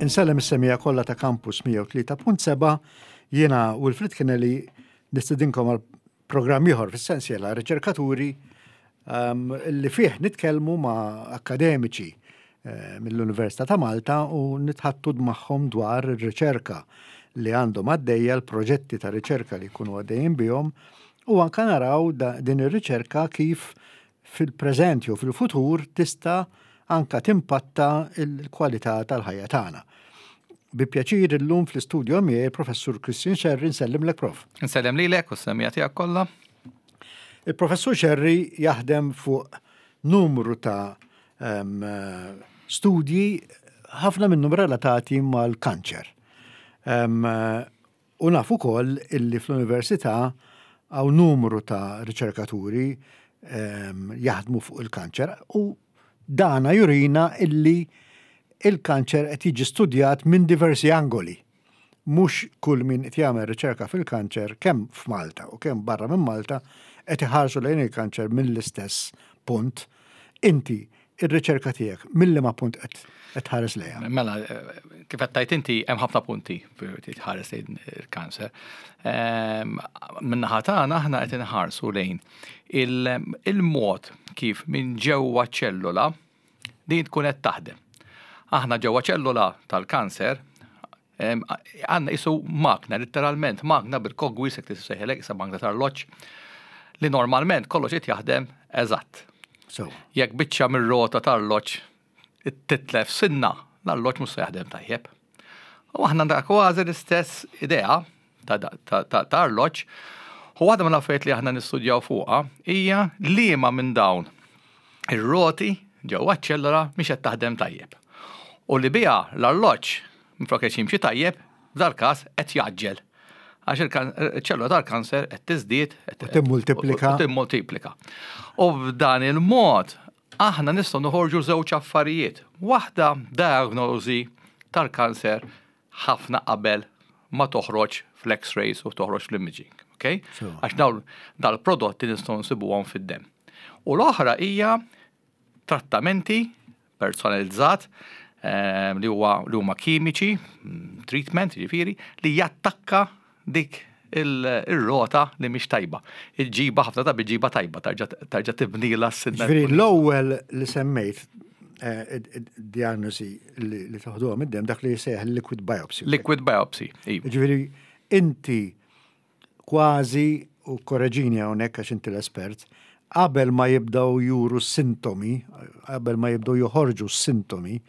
Insellem is-semija kollha ta' Campus 103.7 jiena Wilfrid Kennelly nistedinkom għal programm ieħor fis-sensiela riċerkaturi um, li fih nitkellmu ma' akademiċi eh, mill-Università ta' Malta u nitħattu magħhom dwar ir-riċerka li għandhom għaddejja l-proġetti ta' riċerka li jkunu għaddejjin bihom u anka naraw din ir-riċerka kif fil-preżent jew fil-futur tista' anka timpatta l-kwalità tal-ħajja tagħna. Bi pjaċir illum fl-istudjo miegħi il-Professur Christian Scerri nsellimlek Prof. Nsellem lilek u s-semija tiegħek kollha. Il-Professur Scerri jaħdem fuq numru ta' um, studji ħafna minnhom relatati mal-kanċer. Um, u naf ukoll illi fl-università hawn numru ta' riċerkaturi um, jaħdmu fuq il-kanċer u dana jurina illi il-kanċer qed jiġi studjat minn diversi angoli. Mhux kull min qed jagħmel riċerka fil-kanċer kemm f'Malta u kemm barra minn Malta qed iħarsu lejn il-kanċer mill-istess punt. Inti ir-riċerka tiegħek mill-liema punt qed tħares lejha? Mela, kif qed tgħid inti hemm ħafna punti tħares lejn il-kanser. Ehm, min-naħa tagħna aħna qed inħarsu lejn il-mod kif minn ġewwa ċellula din tkun qed taħdem. Aħna ġewwa ċellula tal-kanser għandna isu magna, literalment magna bil-kogwi, se tissejħelek, isa magna tal-loċ, li normalment kollox qed jaħdem eżatt. So. Jekk biċċa mir-rota tal-loċ titlef sinna, l-alloċ mhux se jaħdem tajjeb. U aħna għandna kważi l-istess idea ta' arloġġ. U waħda mill-affarijiet li aħna nistudjaw fuqha hija liema minn dawn ir-roti ġewwa ċ-ċellula mhix qed taħdem tajjeb. U li biha l-arloġġ minflok qed jimxi tajjeb, f'dal-każ qed jgħaġġel. Għax il-ċellula tal-kanser qed tiżdied u timmultiplika. U timmultiplika. U b'dan il-mod aħna nistgħu noħorġu żewġ affarijiet. Waħda diagnosi tal-kanser ħafna qabel ma toħroġ fl-x-rays u toħroġ fl-imaging. Okay? Għax dawn dal-prodotti nistgħu nsibuhom fid-demm. U l-oħra hija trattamenti personalizzat eh, li huwa li huma kimiċi, mm, treatment jiġifieri, li jattakka dik il-rota li mhix tajba. Il-ġiba ħafna ta' ġiba tajba, tarġa' tibnila s-sinna. Ġifieri l-ewwel li semmejt eh, diagnosi li toħduha mid-dem dak li jsejjaħ liquid biopsy. Liquid biopsy, iva. Ġifieri inti kważi u korreġini hawnhekk għax inti l-espert, qabel ma jibdew juru sintomi, qabel ma jibdew joħorġu s-sintomi,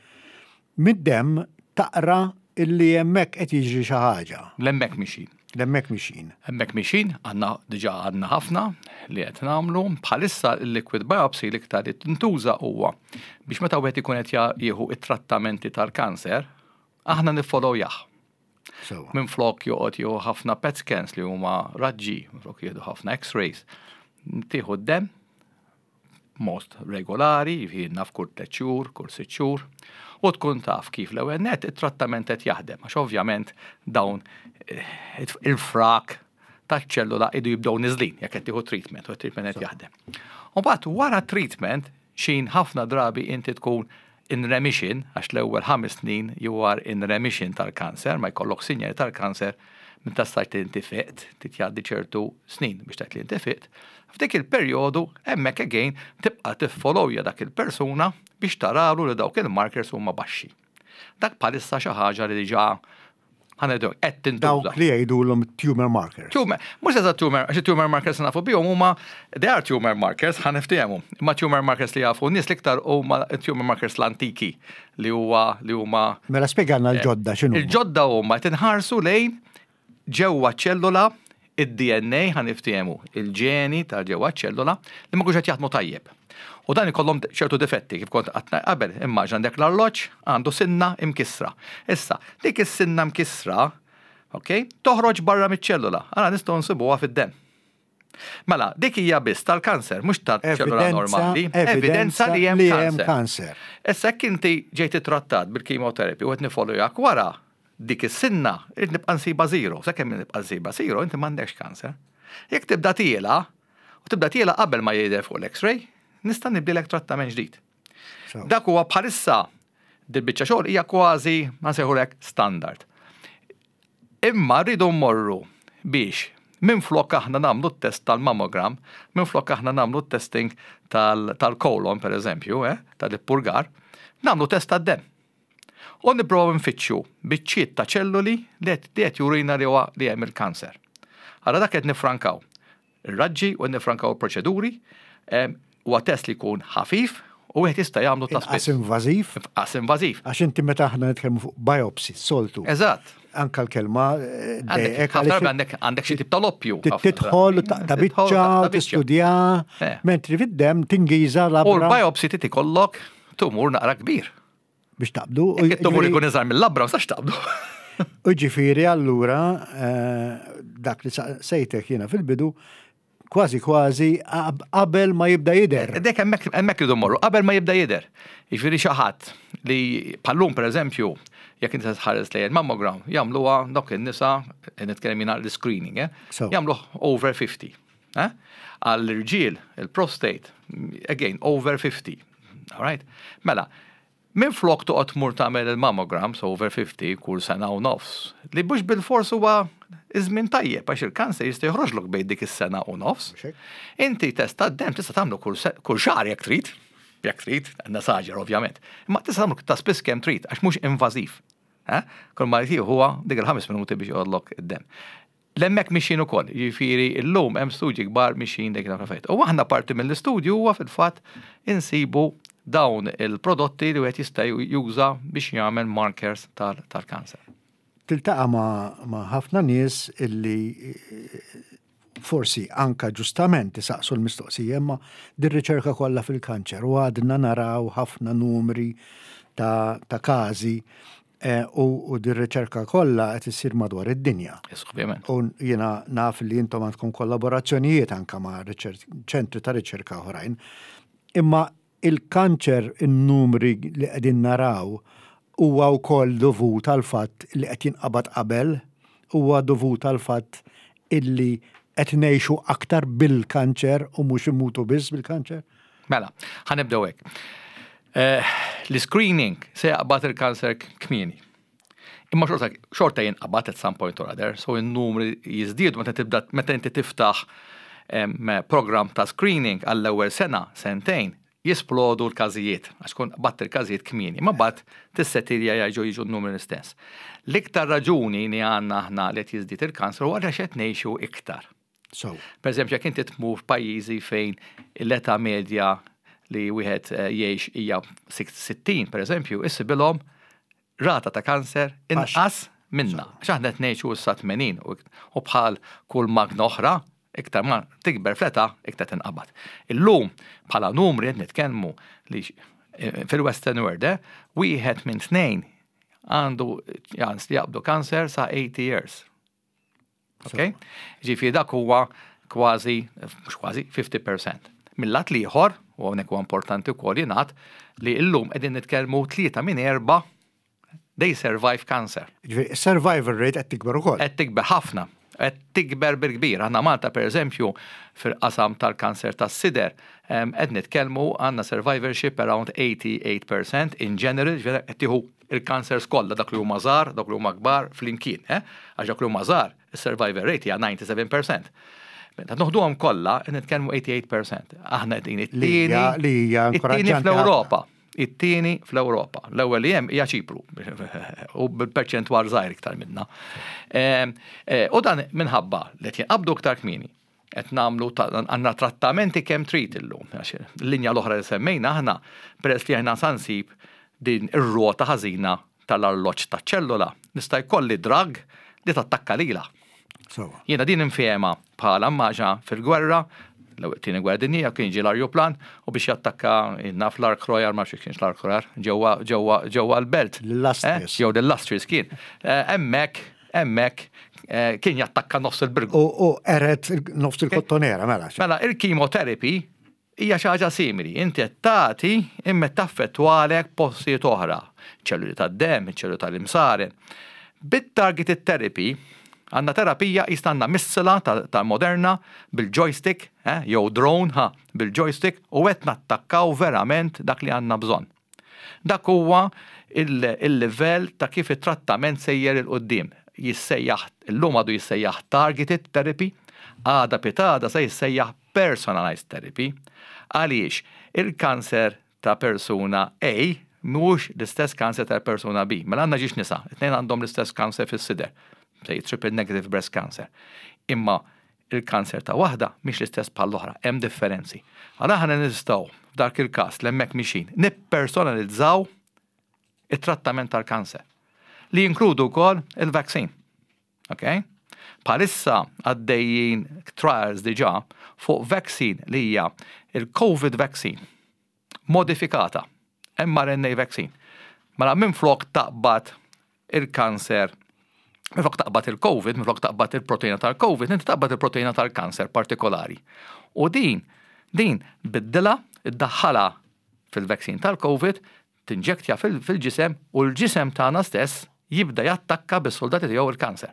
Mid-demm taqra illi hemmhekk qed jiġri xi ħaġa. L-hemmhekk mixin. L-hemmhekk mixin. Hemmhekk mixin, għandna diġà għandna ħafna li qed nagħmlu. Bħalissa l-liquid biopsy l-iktar li tintuża huwa biex meta wieħed ikun qed jieħu it-trattamenti tal-kanser, aħna niffollowjah. Minflok joqgħod jieħu ħafna PET scans li huma raġġi, minflok jieħdu ħafna X-rays, tieħu d-demm, b'mod regolari, jiġifieri naf kull tlett xhur, kull sitt xhur, u tkun taf kif l-ewwel nett it-trattament qed jaħdem, għax ovvjament dawn eh, il-frak taċ-ċellula idu jibdew niżlin jekk qed tieħu treatment u t-treatment qed jaħdem. U mbagħad wara treatment xin ħafna drabi inti tkun in remission, għax l-ewwel 5 snin you are in remission tal-kanser, ma jkollok sinjali tal-kanser, minn ta' stajt li inti fiqt, trid jgħaddi ċertu snin biex tgħid li inti fiqt. F'dik il-perjodu hemmhekk again tibqa' tiffollowja dak il-persuna biex taralu li dawk il-markers huma baxxi. Dak bħalissa xi ħaġa li diġà ħa ngħidu hekk, qed tintuża. Dawk li jgħidulhom tumor markers. Tumor, mhux eżatt tumor, għax tumor markers nafu bihom huma they are tumor markers, ħa niftehmu. Imma tumor markers li jafu n-nies l-iktar huma tumor markers l-antiki li huwa li huma Mela spjegalna l-ġodda x'inhu. Il-ġodda huma qed inħarsu lejn ġewwa ċ-ċellula id-DNA ħa niftehmu, il-ġeni ta' ġewwa ċ-ċellula li ma jkunux qed jaħdmu tajjeb. U dan ikollhom ċertu difetti kif kont qatt qabel, immaġina għandek l-arloġġ għandu sinna imkissra. Issa, dik is-sinna mkissra, ok, toħroġ barra miċ-ċellula, allura nistgħu nsibuha fid-demm. Mela, dik hija biss tal-kanser, mhux tal-ċellula normali. Evidenza li hemm kanser. Issa jekk inti ġejt ittrattat bil-chemotherapy u qed nifollowjak wara, dik is-sinna irrid nibqa' nsibha zero, sakemm nibqa' nsibha zero inti m'għandekx kanser. Jekk tibda tiela, u tibda tiela qabel ma jidher fuq l-X-ray, nista' nibdilek trattament ġdid. Dak huwa bħalissa Dil-biċċa xogħol hija kważi, ma nsejħulek, standard. Imma rridu mmorru biex minflok aħna nagħmlu t-test tal-mammogram, minflok aħna nagħmlu t-testing tal-kolon, per eżempju, tal-ippurgar, nagħmlu test tad-demm. U nipprovaw nfittxu biċċiet ta' ċelluli li qed jurina li huwa li hemm il-kanser. Allura dak qed nifrankaw ir-raġġi u nifrankaw il-proċeduri, huwa test li jkun ħafif u wieħed jista' jagħmlu ta' spiss. Inqas invażiv. Inqas invażiv. Għax inti meta aħna nitkellmu fuq biopsy, soltu. Eżatt. Anka l-kelma dejqek. Għandek għandek xi tip ta' loppju. Tidħol ta' biċċa, tistudja, mentri fid-demm tingiża labra. U l-biopsy trid ikollok tumur naqra kbir. Biex taqbdu. Jekk it-tumur ikun iżgħar mill-labra, ma sax taqbdu. U ġifieri allura dak li sejtek jiena fil-bidu kważi kważi qabel ma jibda jidher. Dek hemmhekk hemmhekk irridu mmorru, qabel ma jibda jidher. Jiġifieri xi ħadd li bħal-lum pereżempju, jekk inti tħares lejn il-mammogram, jagħmluha dawk in-nisa, nitkellem jiena l-screening, eh? Jagħmluh over 50. Eh? Għall-irġiel, il-prostate, again, over 50. All right? Mela, minflok toqgħod tmur tagħmel il-mammograms over 50 kull sena u nofs, li mhux bilfors huwa iż-żmien tajjeb għax il-kanser jista' joħroġlok bejn dik is-sena u nofs. Inti test tad-demm tista' tagħmlu kull xahar jekk trid, jekk trid, nesaġera ovvjament. Imma tista' tagħmlu ta' spiss kemm trid għax mhux invażiv. Eh? Kull ma jtieħu huwa dik il-ħames minuti biex joqgħodlok id-demm. L-hemmhekk mixjin ukoll, jiġifieri llum hemm studji kbar mixjin dik l-affarijiet. U aħna parti mill-istudju huwa fil-fatt insibu dawn il-prodotti li wieħed jista' juża biex jagħmel markers tal-kanser. Tiltaqa' ma' ħafna nies illi forsi anka ġustament isaqsu l-mistoqsija imma dir-riċerka kollha fil-kanċer u għadna naraw ħafna numri ta', ta każi eh, u, u dir-riċerka kollha qed issir madwar id-dinja. Ovvjament. U jiena naf li intom għandkom kollaborazzjonijiet anka ma' ċentri ta' riċerka oħrajn. Imma Il-kanċer in-numri li qegħdin naraw huwa wkoll dovut għall-fatt li qed jinqabad qabel, huwa dovut għall-fatt illi qed ngħixu aktar bil-kanċer u mhux immutu biss bil-kanċer? Mela, ħa nibdew hekk. L-iscreening se jaqbad il-kanser kmieni. Imma xorta, xorta jinqabad at some point or other, so in-numri jiżdiedu meta tibda meta inti tiftaħ program ta' screening għall-ewwel sena, sentejn, jisplodu l-każijiet, għax tkun qbadt il-każijiet kmieni, ma mbagħad tissetilja jerġgħu jiġu n-numri l-istess. L-iktar raġuni li għandna aħna li qed jiżdied il-kanser huwa għaliex qed ngħixu iktar. So. Per eżempju, jekk inti tmur f'pajjiżi fejn l-età medja li wieħed eh, jgħix hija 60, per eżempju, issibilhom rata ta' kanser inqas minna. Għax aħna qed ngħixu issa 80 u bħal kull magna oħra, iktar ma tikber fl-età, iktar tinqabad. Illum bħala numri qed nitkellmu li eh, fil-Western World, eh, wieħed minn tnejn għandu ċans li jaqbdu kanser sa 80 years. Ok? Ġifieri dak huwa kważi, mhux kważi, 50%. Mill-lat l-ieħor, u hawnhekk huwa importanti wkoll jingħad, li llum qegħdin nitkellmu tlieta minn erba' they survive cancer. Ġifieri survival rate qed tikber ukoll. Qed tikber ħafna. Qed tikber bil-kbir. Aħna Malta pereżempju fil-qasam tal-kanser tas-sider qed nitkellmu għandna survivorship around 88% in general, ġifieri qed tieħu il-kansers kollha, dak li huma żgħar, dawk li huma kbar flimkien, eh? Għax dawk li huma żgħar, is-survival rate hija 97%. Meta noħduhom kollha, qed nitkellmu 88%. Aħna qegħdin it-tieni li hija it-tieni fl-Ewropa. It-tieni fl-Ewropa. L-ewwel li hemm hija Ċipru u bil-perċentwal żgħir iktar minna. Ehm, eh, u dan minħabba li qed jinqabdu iktar kmieni. Qed nagħmlu għandna trattamenti kemm trid illum. Għax l-linja l-oħra li semmejna aħna peress li aħna sa nsib din ir-rota ħażina tal-arloġġ taċ-ċellola, nista' jkolli drug li tattakka lilha. Jiena din infehemha bħala mmaġa fil-gwerra, l-tieni gwerra dinjija kien ġie l-arjuplan u biex jattakka naf l-Ark Royal, ma nafx kienx l-Ark Royal, ġewwa ġewwa ġewwa l-belt. L-Illustris. Jew l-Illustris kien. Hemmhekk hemmhekk kien jattakka nofs il-Birgu. U qered nofs il-kottonera, mela. Mela, il-chemotherapy hija xi ħaġa simili. Inti qed tagħti imma qed taffettwalek postijiet oħra, ċelluli tad-demm, iċ-ċelluli tal-imsaren. Bit-targeted therapy għandna terapija qisna għandna missila ta' moderna bil-joystick, jew drone, ha, bil-joystick u qed nattakkaw verament dak li għandna bżonn. Dak huwa il-livell ta' kif it-trattament sejjer 'il quddiem. Jissejjaħ, illum għadu jissejjaħ targeted therapy, għada pitgħada se jissejjaħ personalized therapy. Għaliex il-kanser ta' persuna A mhuwiex l-istess kanser ta' persuna B. Mela għandna ġiex nisa, it-tnejn għandhom l-istess kanser fis-sider, say triple negative breast cancer. Imma il-kanser ta' waħda mhix l-istess bħall-oħra, hemm differenzi. Għala aħna nistgħu f'dak il-każ li hemmhekk mixin nippersonalizzaw it-trattament tal-kanser li jinkludu wkoll il-vaccine. Ok? Bħalissa għaddejjin trials diġà fuq vaccine li hija il-COVID vaccine modifikata, mRNA vaccine. Mela minflok taqbad il-kanser, minflok taqbad il-COVID, minflok taqbad il-proteina tal-COVID, inti taqbad il-proteina tal-kanser partikolari. U din, din biddilha, iddaħħalha fil-vaccine tal-COVID, tinġektja fil-ġisem u l-ġisem tagħna stess jibda jattakka bis-soldati tiegħu il-kanser.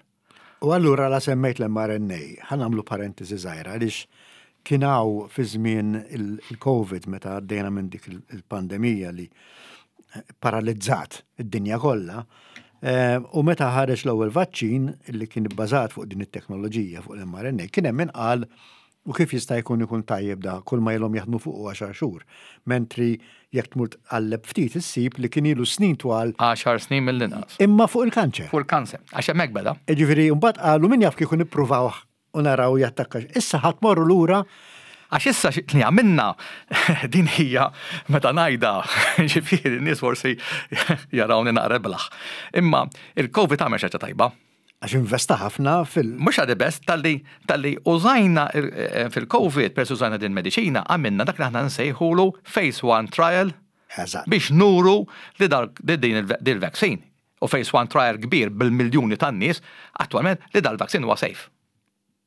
U allura la semmejt l-mRNA, ħa nagħmlu parentesi żgħira għaliex kien hawn fi żmien il-COVID meta għaddejna minn dik il-pandemija li paralizzat id-dinja kollha. U meta ħareġ l-ewwel vaċċin li kien ibbażat fuq din it-teknoloġija fuq l-mRNA, kien hemm min qal u kif jista' jkun ikun tajjeb da kull ma ilhom jaħdmu fuq 10 xhur. Mentri jekk tmur tqalleb ftit issib li kien ilu snin twal. 10 snin mill-inqas. Imma fuq il-kanċer. Fuq il-kanċer, għax hemmhekk beda. Jiġifieri mbagħad qalu min jaf kieku nippruvawh u naraw jattakka. Issa ħa tmorru lura. Għax issa li għamilna din hija meta ngħidha, ġifieri n-nies forsi jarawni naqra blaħ. Imma il-COVID għamel xi ħaġa tajba. Għax investa ħafna fil- Mhux għadi best, talli talli użajna fil-COVID, peress użajna din mediċina, għamilna dak li aħna nsejħulu phase 1 trial biex nuru li din il-vaccine. U phase 1 trial kbir bil-miljuni tan-nies, attwalment li dal-vaccine huwa safe.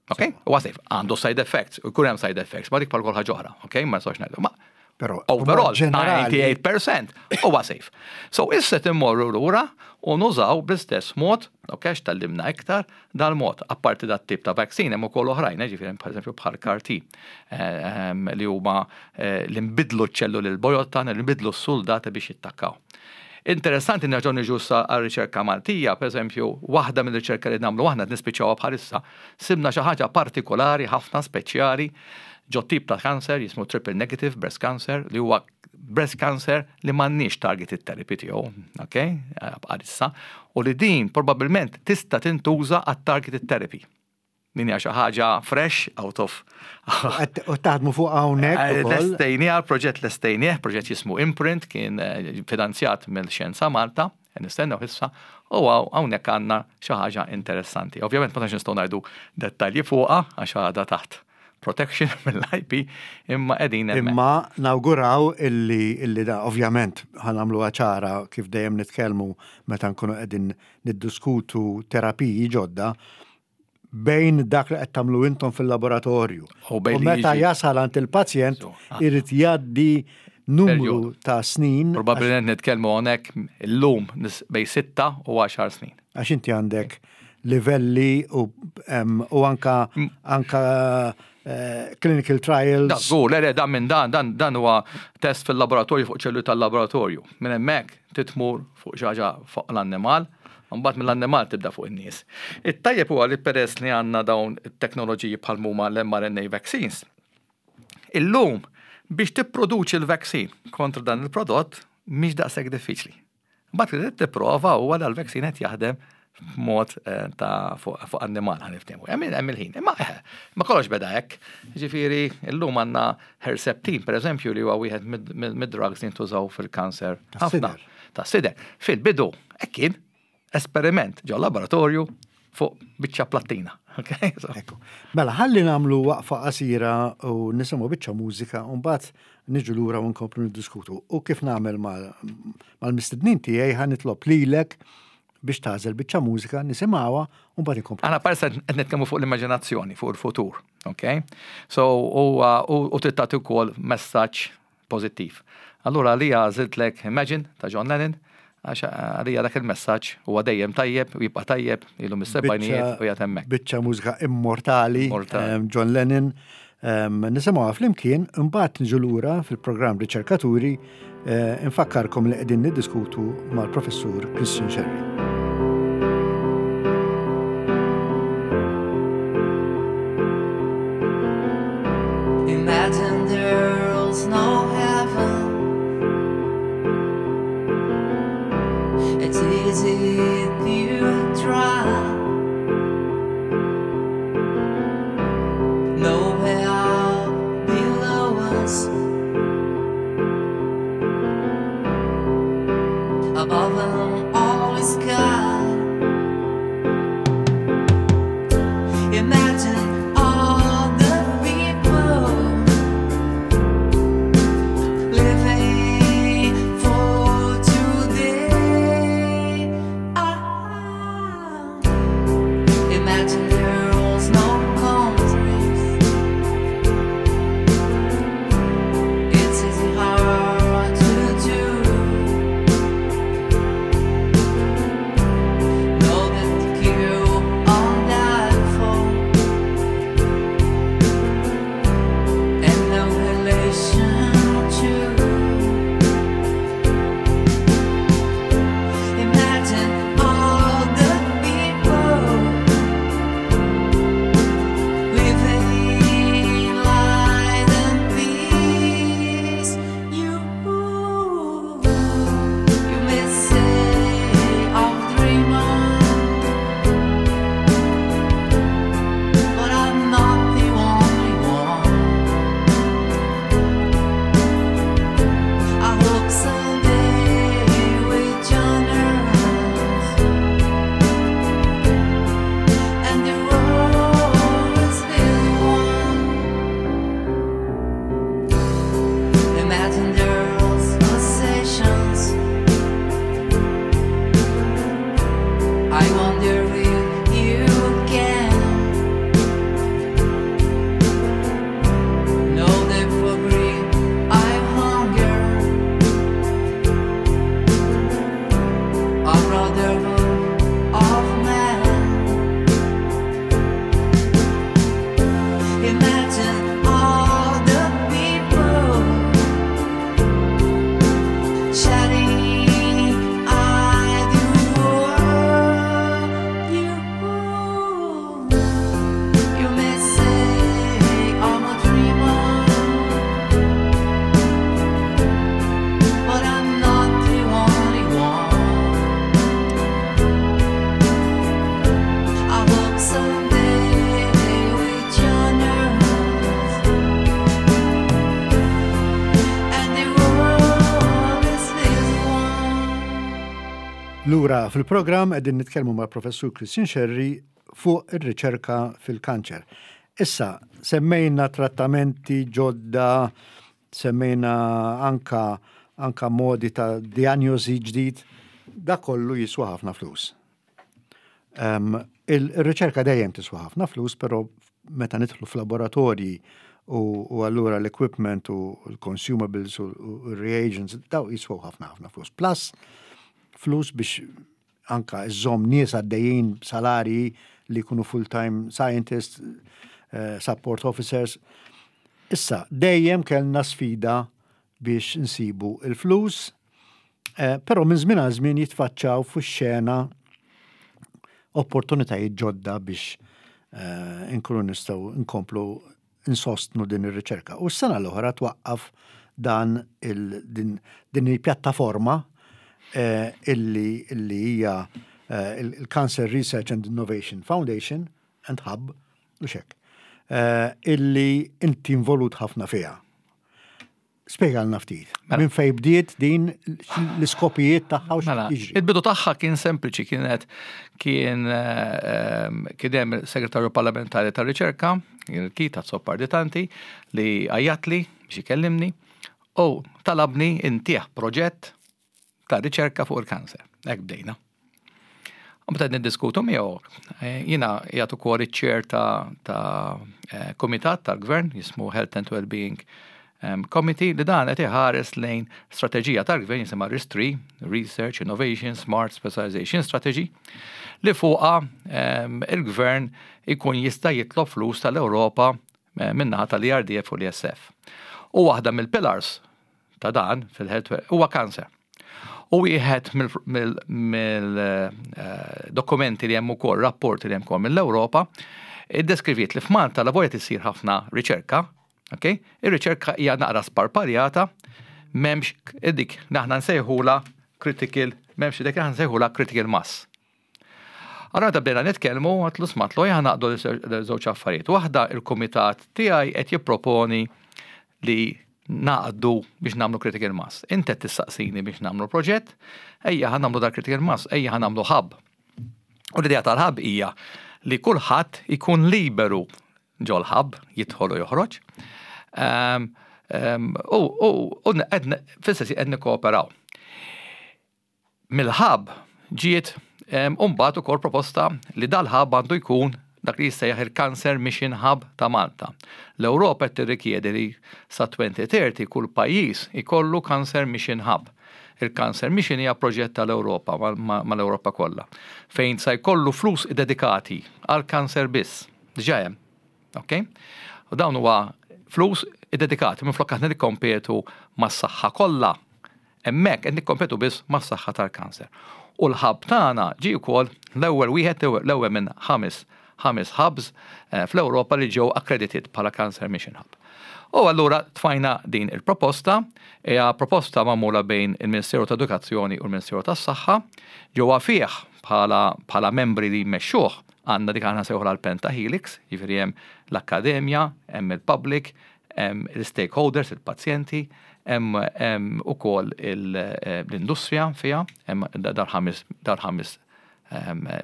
Ok? Huwa safe. Għandu side effects, u jkun hemm side effects, ma dik bħal kull ħaġa oħra, ok? Ma nistgħux ngħidu. Ma Però overall, ġenerali 98% huwa safe. So issa timmorru lura u nużaw bl-istess mod, ok, x'tallimna iktar, dal-mod, apparti dat tip ta' vaccine, hemm ukoll oħrajn, ġifieri pereżempju bħal CAR-T, li huma li nbidlu ċ-ċelluli l-bojod tagħna, li nbidlu s-soldati biex jittakkaw. Interessanti nerġgħu niġu issa għar-riċerka Maltija, pereżempju, waħda mill-riċerka li nagħmlu aħna qed nispiċċawha bħalissa, sibna xi ħaġa partikolari ħafna speċjali ġo tip ta' cancer jismu triple negative breast cancer li huwa breast cancer li m'għandniex targeted therapy tiegħu, ok, bħalissa, u li din probabbilment tista' tintuża għat targeted therapy. Din hija xi ħaġa fresh out of U taħdmu fuq hawnhekk ukoll. Lestejniha, l-proġett lestejnieh, proġett jismu Imprint, kien finanzjat mill-Xjenza Malta, nistennew issa, u hawnhekk għandna xi ħaġa interessanti. Ovvjament ma tantx nistgħu ngħidu dettalji fuqha għax għadha taħt protection mill-IP, imma qegħdin hemmhekk. Imma nawguraw illi da ovvjament ħa nagħmluha ċara kif dejjem nitkellmu meta nkunu qegħdin niddiskutu terapiji ġodda bejn dak li qed tagħmlu intom fil-laboratorju. U bejn U li meta jiġi jasal għand il-pazjent So, irid jgħaddi numru Perjodu. ta' snin. Probabbilment nitkellmu hawnhekk illum bejn 6 u 10 snin. Għax inti għandek livelli u anka clinical trials. Da, żgur, le, le, dan minn dan, dan, dan huwa test fil-laboratorju fuq ċelluli tal-laboratorju. Minn hemmhekk titmur fuq xi ħaġa fuq l-annimal, mbagħad mill-annimal tibda fuq in-nies. It-tajjeb huwa li peress li għandna dawn it-teknoloġiji bħal huma l-mRNA vaccines, illum biex tipproduċi l-vaccine kontra dan il-prodott mhix daqshekk diffiċli. Mbagħad li tipprova huwa dal-vaccine qed jaħdem b'mod ta' fuq annimal ħa niftehmu. Hemm il-ħin. Imma ma kollox beda hekk. Ġifieri illum għandna Herceptin, pereżempju, li huwa wieħed mid-drugs li jintużaw fil-kanser. Tas-sider. Ħafna. Tas-sider. Fil-bidu, hekk kien esperiment ġo laboratorju fuq biċċa plattina. Okay? So. Ekku. Mela, ħalli nagħmlu waqfa qasira u nisimgħu biċċa mużika u mbagħad niġu lura u nkomplu niddiskutu. U kif nagħmel mal-mistednin tiegħi ħa nitlob lilek biex tagħżel biċċa mużika, nisimgħuha u mbagħad inkomplu. Aħna parsa qed nitkellmu fuq l-immaġinazzjoni, fuq il-futur, ok? So, u trid tagħti wkoll messaġġ pożittiv. Allura għalija għażiltlek Imagine ta' John Lennon, għax għalija dak il-messaġġ huwa dejjem tajjeb u jibqa' tajjeb ilu mis-sebgħinijiet u jgħid hemmhekk. Biċċa mużika immortali, Immortali. John Lennon. Nisimgħuha flimkien, imbagħad niġu lura fil-programm Riċerkaturi, eh, infakkarkom li qegħdin niddiskutu mal-Professur Christian Scerri. Imagine there's no heaven. It's easy if you try. No hell below us. Above them all is sky. Imagine all the people living for today. Ah, imagine there's no countries. It's easy hard to do. Know that the queue on that phone and no relation to. Imagine all the people living in light and peace. You, you may say I'm a dreamer, but I'm not the only one. I hope someday we join hands and the world is really one. Imagine there's possessions. I wonder if you can know that for greed I hunger. A brotherhood of man. Imagine all the people shining eye the world. You, you may say I'm a dreamer, but I'm not the only one. I hope someday we join hands and the world is this one. Lura fil-programm qegħdin nitkellmu mal-Professur Christian Scerri fuq ir-riċerka fil-kanċer. Issa, semmejna trattamenti ġodda, semmejna anka, anka modi ta' diagnosi ġdid, da kollu jiswa ħafna flus. Il-riċerka dejjem tiswa ħafna flus, però meta nidħlu f'laboratorji u allura l-equipment u l-consumables u l-reagents, daw jiswaw ħafna ħafna flus. Plus, flus biex anka iżżomm nies għaddejjin salarji li jkunu full-time scientists, support officers. Issa, dejjem kellna sfida biex nsibu il-flus, però minn żmien għal żmien jitfaċċaw fuq xena opportunitajiet ġodda biex inkunu nistgħu nkomplu insostnu din ir-riċerka. U s-sena l-oħra twaqqaf dan il, din, din il-pjattaforma illi hija il-Cancer Research and Innovation Foundation and Hub u xek, illi inti involut ħafna fiha. Spjegalna ftit. Mela. Minn fej bdiet din l-iskopijiet tagħha u Mela, jiġri. il-bidu tagħha kien sempliċi, kienet kien kien hemm segretarju parlamentari tar-riċerka, il-Keith Azzopardi Tanti, li għajjatli biex ikellimni u talabni intih proġett ta' riċerka fuq il-kanser. Hekk bdejna. U meta niddiskutu miegħu, jiena qiegħed ukoll iċ-chair ta' komitat tal-gvern jismu Health and Wellbeing Committee li dan qed iħares lejn strateġija tal-gvern jisimha RIS3, Research, Innovation, Smart Specialization Strategy, li fuqha il-gvern ikun jista' jitlob flus tal-Ewropa min-naħa tal-ERDF u l-ESF. U waħda mill-pillars ta' dan fil-health huwa kanser. U wieħed mill-dokumenti li hemm ukoll, rapporti li hemm ukoll mill-Ewropa, iddeskriviet li f'Malta la volja tisir ħafna riċerka, ok? Ir-riċerka hija naqra sparpaljata, m'hemmx dik li aħna nsejħula critical, m'hemmx dik li aħna nsejħula critical mass. Allora meta bdejna nitkellmu, għatlu smatlu ejja naqdu l-żewġ affarijiet. Waħda il-kumitat tiegħi qed jipproponi li naqdu biex nagħmlu critical mass. Inti qed tistaqsini biex nagħmlu proġett, ejja ħa nagħmlu dal critical mass, ejja ħa nagħmlu hub. U l-idea tal-hub hija li kulħadd ikun liberu ġol-hub, jidħol u joħroġ. U fil-sens qed nikkooperaw. Mill-hub ġiet mbagħad ukoll proposta li dal-hub għandu jkun dak li jissejjaħ il-Cancer Mission Hub ta' Malta. L-Ewropa qed tirrikjedi li sa 2030 kull pajjiż ikollu Cancer Mission Hub. Il-Cancer Mission hija proġett tal-Ewropa mal-Ewropa kollha fejn sa jkollu flus dedikati għal kanser biss. Diġà hemm. Ok? U dawn huwa flus iddedikati minflok aħna nikkompetu mas-saħħa kollha. Hemmhekk qed nikkompetu biss mas-saħħa tal-kanser. U l-hub tagħna ġie wkoll l-ewwel wieħed l-ewwel minn ħames hubs fl-Ewropa li ġew accredited bħala Cancer Mission Hub. U allura tfajna din il-proposta, hija proposta magħmula bejn il-Ministeru ta' Edukazzjoni u l-Ministeru tas-Saħħa, ġewwa fih bħala membri li jmexxuh għandna dik aħna sejħu l-Penta Helix, jiġifieri hemm l-akkademja, hemm il-public, hemm il-stakeholders, il-pazjenti, hemm ukoll l-industrija fiha, hemm dal-ħames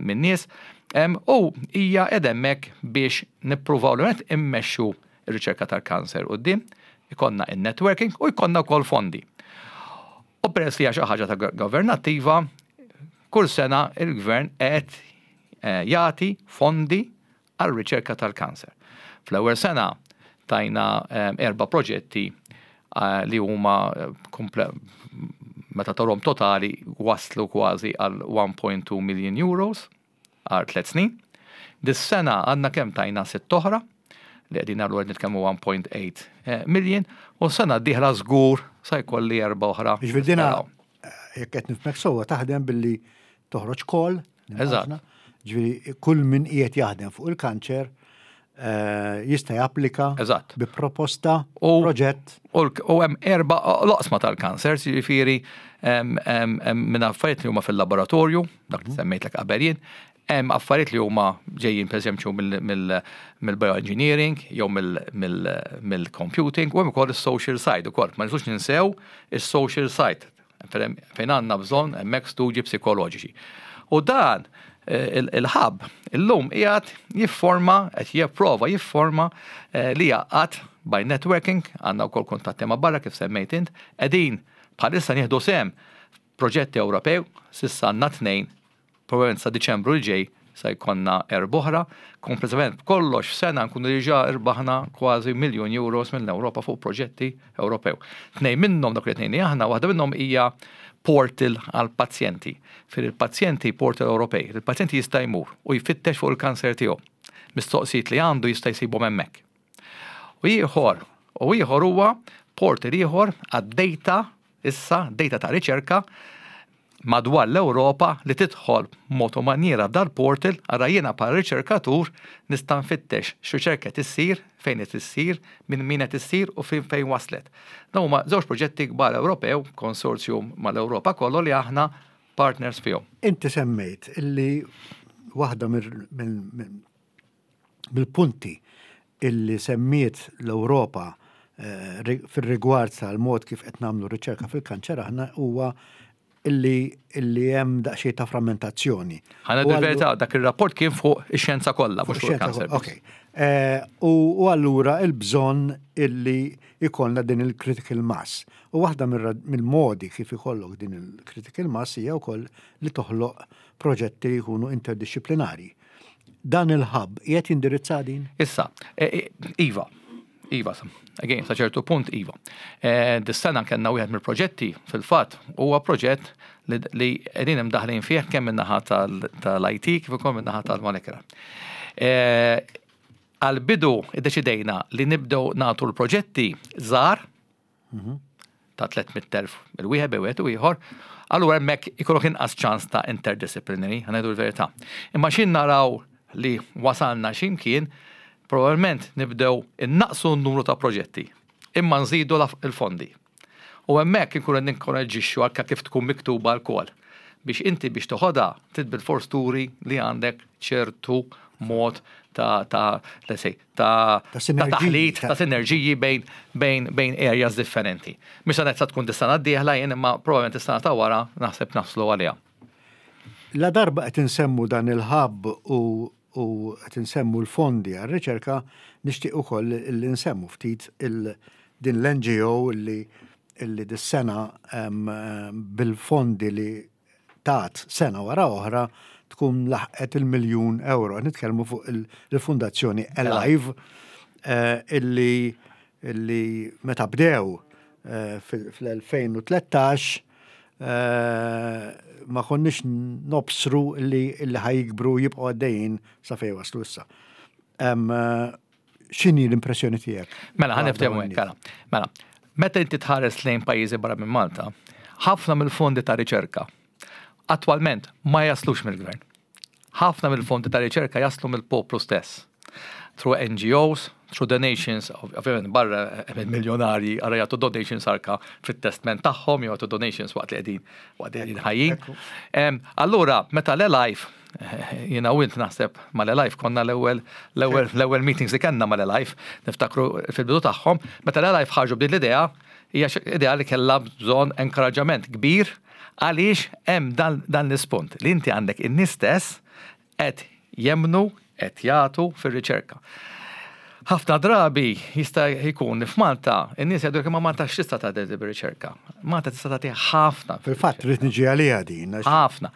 min-nies, u hija qed hemmhekk biex nippruvaw li qed immexxu r-riċerka tal-kanser quddiem, ikollna in-networking u jkollna wkoll fondi. U peress li hija xi ħaġa ta' governattiva, kull sena il-gvern qed jagħti fondi għal riċerka tal-kanser. Fl-ewwel sena tajna erba' proġetti li huma meta tarhom totali waslu kważi għal 1.2 million euros għal 3 snin. Dis-sena għandna kemm tajna sitt oħra li qegħdin għallu qed nitkellmu 1.8 million u sena d-dieħla żgur sa jkolli erba' oħra. Jiġifieri dina jekk qed nifhmek sewwa taħdem billi toħroġ call. Eżatt. Ġifieri kull min qiegħed jaħdem fuq il-kanċer jista' japplika bi proposta proġett. U hemm erba' loqsma tal-kanser, jiġifieri minn affarijiet li huma fil-laboratorju, dak li semmejtlek qabel jien, hemm affarijiet li huma ġejjin pereżempju mill-bioengineering jew mill-computing u hemm ukoll is-social side ukoll. Ma nistgħux ninsew is-social side fejn għandna bżonn hemmhekk studji psikoloġiċi. U dan il-hub illum qiegħed jifforma, qed jipprova jifforma li jaqgħad by networking, għandna wkoll kuntatti ma' barra kif semmejt int, qegħdin bħalissa nieħdu sehem proġetti Ewropew, s'issa għandna 2, probabbilment sa Diċembru l ġej sa jkollna erba' oħra, kompletament kollox f'sena nkunu diġà irbaħna kważi miljun euros mill-Ewropa fuq proġetti Ewropew. 2 minnhom dak li tnejn aħna, waħda minnhom hija portal għal pazjenti. Fil il-pazjenti portal Ewropej, il-pazjenti jista' jmur u jfittex fuq il-kanser tiegħu. Mistoqsijiet li għandu jista' jsibhom hemmhekk. U ieħor huwa portal ieħor għad-data issa, data ta' riċerka madwar l-Ewropa li tidħol mod u maniera dal-portal, ara jiena bħala riċerkatur nista' nfittex x'riċerka qed issir, fejn qed issir, minn min qed issir u fejn waslet. Dawn huma żewġ proġetti kbar Ewropew, konsorzjum mal-Ewropa kollu li aħna partners fihom. Inti semmejt illi waħda mill-punti illi semmiet l-Ewropa fir-rigward tal-mod kif qed nagħmlu riċerka fil-kanċer aħna huwa illi hemm daqsxejn ta' frammentazzjoni. Ħana il-verità, dak ir-rapport kien fuq ix-xjenza kollha, mhux fuq il-kanser. Ok. U allura il-bżonn illi ikollna din il-critical mass. U waħda mill-modi kif ikollok din il-critical mass hija wkoll li toħloq proġetti li jkunu interdisciplinari. Dan il-hub qiegħed jindirizza din? Issa, Iva, Iva, again, sa ċertu punt Iva. Dis-sena kellna wieħed mill-proġetti fil-fatt huwa proġett li qegħdin imdaħlin fih kemm min-naħa tal-IT kif ukoll min-naħa tal-molecular. Għal-bidu iddeċidejna li nibdew nagħtu l-proġetti żgħar ta' 300,000 il-wieħed bejn wieħed u ieħor, allura hemmhekk ikollok inqas ċans ta' interdisciplinary, ħa ngħidu l-verità. Imma x'in naraw li wasalna x'imkien, probabbilment nibdew innaqsu n-numru ta' proġetti, imma nżidu l-fondi. U hemmhekk inkunu qed ninkoraġġixxu anke kif tkun miktuba l-call biex inti biex toħodha trid bilfors turi li għandek ċertu mod ta' ta' let's say ta' ta' taħlit, ta' sinerġiji bejn bejn bejn areas differenti. Mhux se ngħid sa tkun dis-sena d-dieħla jien imma probabbilment is-sena ta' wara naħseb naslu għaliha. La darba qed insemmu dan il-hub u u qed insemmu l-fondi għar-riċerka, nixtieq ukoll li nsemmu ftit il din l-NGO li illi dis-sena bil-fondi li tat sena wara oħra tkun laħqet il-miljun euro. Nitkellmu fuq il-Fundazzjoni Alive illi illi meta bdew fl-2013 ma konniex nobsru li ħa jikbru jibqgħu għaddejjin sa fejn waslu issa. X'inhi l-impressjoni tiegħek? Mela, ħa niftehmu hekk, mela. Meta inti tħares lejn pajjiżi barra minn Malta, ħafna mill-fondi ta' riċerka attwalment ma jaslux mill-gvern. Ħafna mill-fondi ta' riċerka jaslu mill-poplu stess. Through NGOs, through donations, ovvjament barra miljonarji għara jagħtu donations arka fit-testment tagħhom jew jagħtu donations waqt li qegħdin waqt li qegħdin ħajjin. Allura, meta l-Alive, jiena u int naħseb mal-Alive konna l-ewwel l-ewwel meetings li kellna mal-Alive, niftakru fil-bidu tagħhom, meta l-Alive ħarġu b'din l-idea, hija idea li kellha bżonn enkoraġġament kbir għaliex hemm dan l-ispunt li inti għandek in-nies stess qed jemmnu, qed jagħtu fir-riċerka. Ħafna drabi jista' jkun li f'Malta in-nies jgħidu imma Malta x'tista' tagħti bir-riċerka. Malta tista' tagħti ħafna. Fil-fatt rrid niġi għaliha din. Ħafna.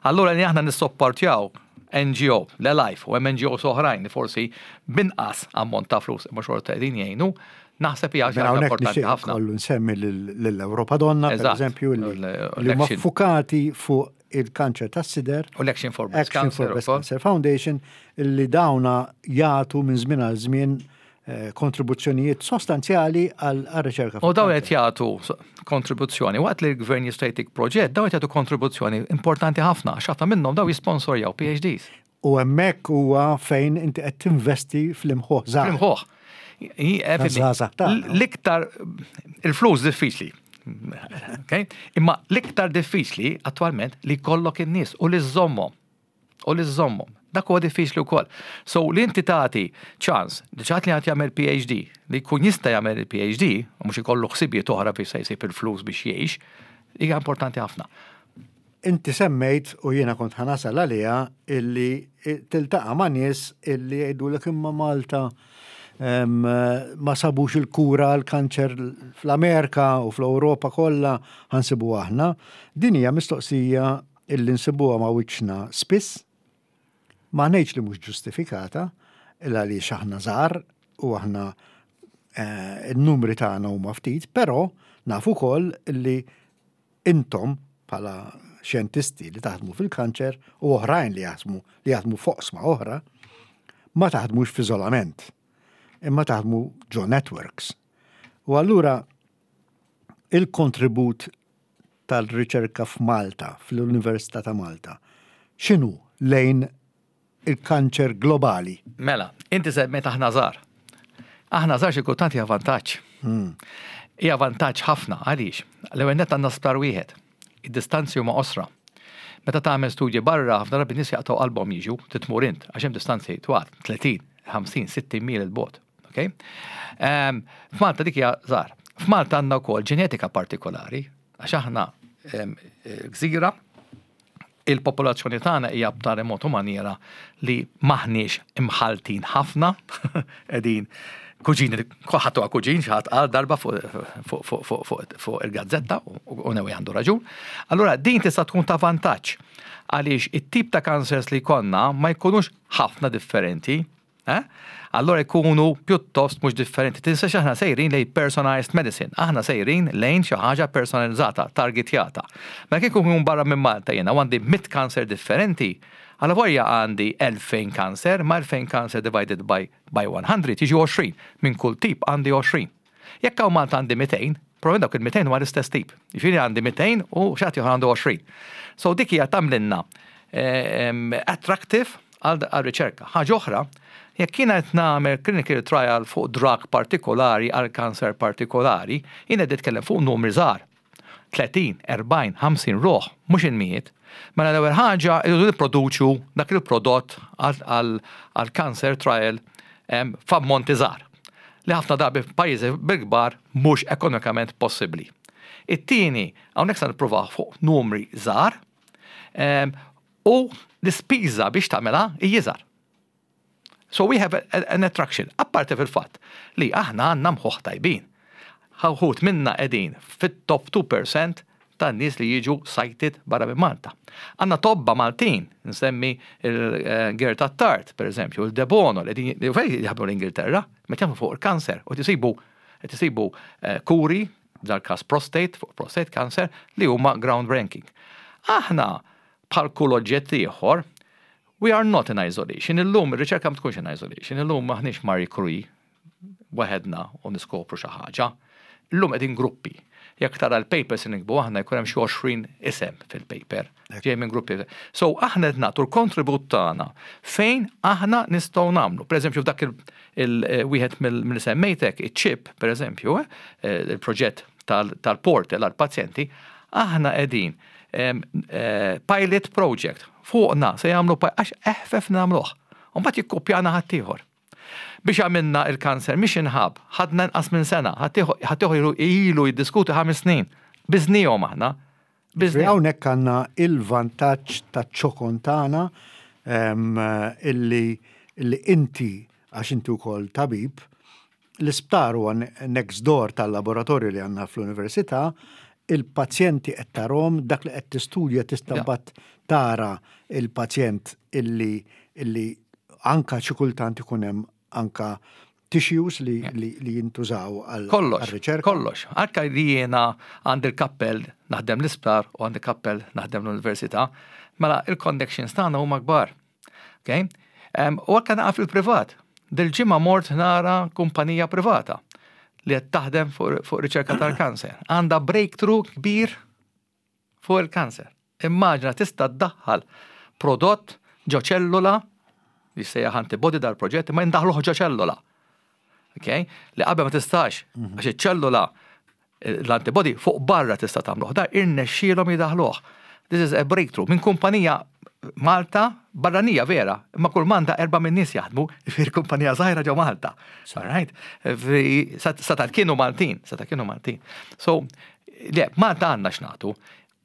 Allura li aħna nissopportjaw NGO, l-Alive u hemm NGOs oħrajn li forsi b'inqas ammont ta' flus imma xorta qegħdin jgħinu, naħseb hija xi ħaġa importanti ħafna. Kollu nsemmi lill-Ewropa Donna, pereżempju, li huma ffukati fuq il-kanċer tas-sider. U l-Action for Breast Cancer. Breast Cancer Foundation li dawna jagħtu minn żmien għal żmien eh, kontribuzzjonijiet sostanzjali għal riċerka. U dawn qed jagħtu kontribuzzjoni waqt li l-gvern jista' jtik proġett, dawn qed jagħtu kontribuzzjoni importanti ħafna għax ħafna minnhom dawn jisponsorjaw PhDs. U hemmhekk huwa fejn inti qed tinvesti fl-imħuħ żgħar. Fl-imħuħ. L-iktar il-flus diffiċli. Imma l-iktar diffiċli attwalment li jkollok in-nies u li żżommhom. U li żżommhom. Dak huwa diffiċli wkoll. So li inti tagħti ċans li xi ħadd li qed jagħmel PhD, li jkun jista' jagħmel il-PhD, u mhux ikollu ħsibijiet oħra biex se jsib il-flus biex jgħix, hija importanti ħafna. Inti semmejt, u jiena kont ħa nasal għaliha, illi tiltaqa' ma' nies illi jgħidulek imma Malta ma sabux il-kura għall-kanċer fl-Amerika u fl-Ewropa kollha ħa nsibuha aħna. Din hija mistoqsija illi nsibuha ma' wiċċna spiss. Ma ngħidx li mhux ġustifikata, il għaliex aħna żgħar u aħna n-numri tagħna huma ftit, però nafu wkoll illi Intom, bħala xjentisti li taħdmu fil-kanċer u oħrajn li jaħdmu li jaħdmu f'oqsma oħra, ma taħdmux f'iżolament, imma taħdmu ġo networks. U allura il-kontribut tal-riċerka f'Malta, fl-Università ta' Malta, x'inhu lejn il-kanċer globali. Mela, inti semmejt aħna żgħar. Aħna żgħar xi kultant hija vantaġġ. Hmm. Hija vantaġġ ħafna għaliex. L-ewwel nett għandna sptar wieħed. Id-distanzi huma qosra. Meta tagħmel studji barra, ħafna drabi nies jaqtgħu qalbhom jiġu titmur int għax hemm distanzi twal, 30, 50, 60 mil il-bogħod. Okay? Ehm, f'Malta dik hija żgħar. F'Malta għandna wkoll ġenetika partikolari għax aħna ehm, gżira Il-popolazzjoni tagħna hija b'tali mod u maniera li m'aħniex imħalltin ħafna, qegħdin kuġini, kulħadd huwa kuġin, xi ħadd qal darba fuq il-gazzetta u newi għandu raġun. Allura din tista' tkun ta' vantaġġ għaliex it-tip ta' cancers li jkollna ma jkunux ħafna differenti. Eh? Allora jkunu pjuttost mhux differenti. Tinsax aħna sejrin lejn personalized medicine. Aħna sejrin lejn xi ħaġa personalizzata, targetjata. Mela kieku nkun barra minn Malta jiena u għandi 100 kanser differenti, allavolja għandi 2000 kanser, ma 2000 kanser divided by, by 100 jiġi 20. Minn kull tip għandi 20. Jekk hawn Malta għandi 200, probabbilment dawk il-200 huma l-istess tip. Jiġifieri għandi 200 u xi ħadd ieħor għandu 20. So dik hija tagħmlilna attractive għal riċerka. Ħaġa oħra, jekk jiena qed nagħmel clinical trial fuq drug partikolari għal kanser partikolari, jiena qed nitkellem fuq numri żgħar. 30, 40, 50 ruħ, mhux il-mijiet. Mela l-ewwel ħaġa irridu nipproduċu dak il-prodott għal cancer trial f'ammonti żgħar li ħafna drabi f'pajjiżi bil-kbar mhux ekonomikament possibbli. It-tieni, hawnhekk se nippruvaw fuq numri żgħar u l-ispiża biex tagħmilha hija iżgħar. So we have an attraction. Apparti fil-fatt li aħna għandna mħuħ tajbin. Wħud minna qegħdin fit-top 2% tan-nies li jiġu cited barra minn Malta. Għandna tobba Maltin, nsemmi il-Gert Attard, per eżempju, il-Debono, li qegħdin jaħdmu l-Ingilterra, meta jaħdmu fuq il-kanser u tisibu qed isibu eh, kuri, dal-każ prostate, fuq prostate cancer, li huma groundbreaking. Aħna bħal kull oġġett ieħor, We are not in isolation. Illum ir-riċerka ma tkunx in isolation. Illum maħniex Marie Curie waħedna u niskopru xi ħaġa. Illum qegħdin gruppi. Jekk tara l-papers li nikbu aħna jkun hemm xi 20 isem fil-paper. Ġej minn gruppi. So aħna qed nagħtu l-kontribut tagħna fejn aħna nistgħu nagħmlu. Pereżempju f'dak il-wieħed mill semmejtek, iċ-chip, pereżempju, eh, il-proġett tal-portal għall-pazjenti, aħna qegħdin eh, pilot project fuqna se jagħmlu għax eħfef nagħmluh. U mbagħad jikkopjana ħaddieħor. Biex għamilna il-Cancer Mission Hub, ħadna inqas minn sena, ħaddieħor ilu jiddiskuti ħames snin. Biżnihom aħna. Hawnhekk għandna il-vantaġġ taċ-ċokon tagħna illi inti għax inti wkoll tabib, L-isptar huwa next door tal-laboratorju li għandna fl-università, il-pazjenti qed tarhom, dak li qed tistudja tista' mbagħad tara il-pazjent illi illi anka xi kultant ikun hemm anka tissues li, li, li jintużaw għal riċerka. Kollox, anka li jiena għandi l-kappell naħdem l-isptar u għandi kappell naħdem l-università, mela il-connections tagħna huma kbar. Okay? U anke naqa' fil-privat. Dil-ġimgħa mort nara kumpanija privata li qed taħdem fuq riċerka tal-kanser. Għandha breakthrough kbir fuq il-kanser. Immaġina tista' ddaħħal prodott ġo ċellula li sejjaħ antibody dal-proġett ma jindaħluh ġo ċellula. Okay? Li qabel ma tistax, għax iċ-ċellula L-antibody fuq barra tista' tagħmluh, dar irnexxielhom jidaħluh. This is a breakthrough minn kumpanija Malta barranija vera, imma kull manda erba' minn nies jaħdmu, fir kumpanija żgħira ġo Malta. Right? Sata kienu Maltin, sata kienu Maltin. So, le, Malta għandna x'nagħtu,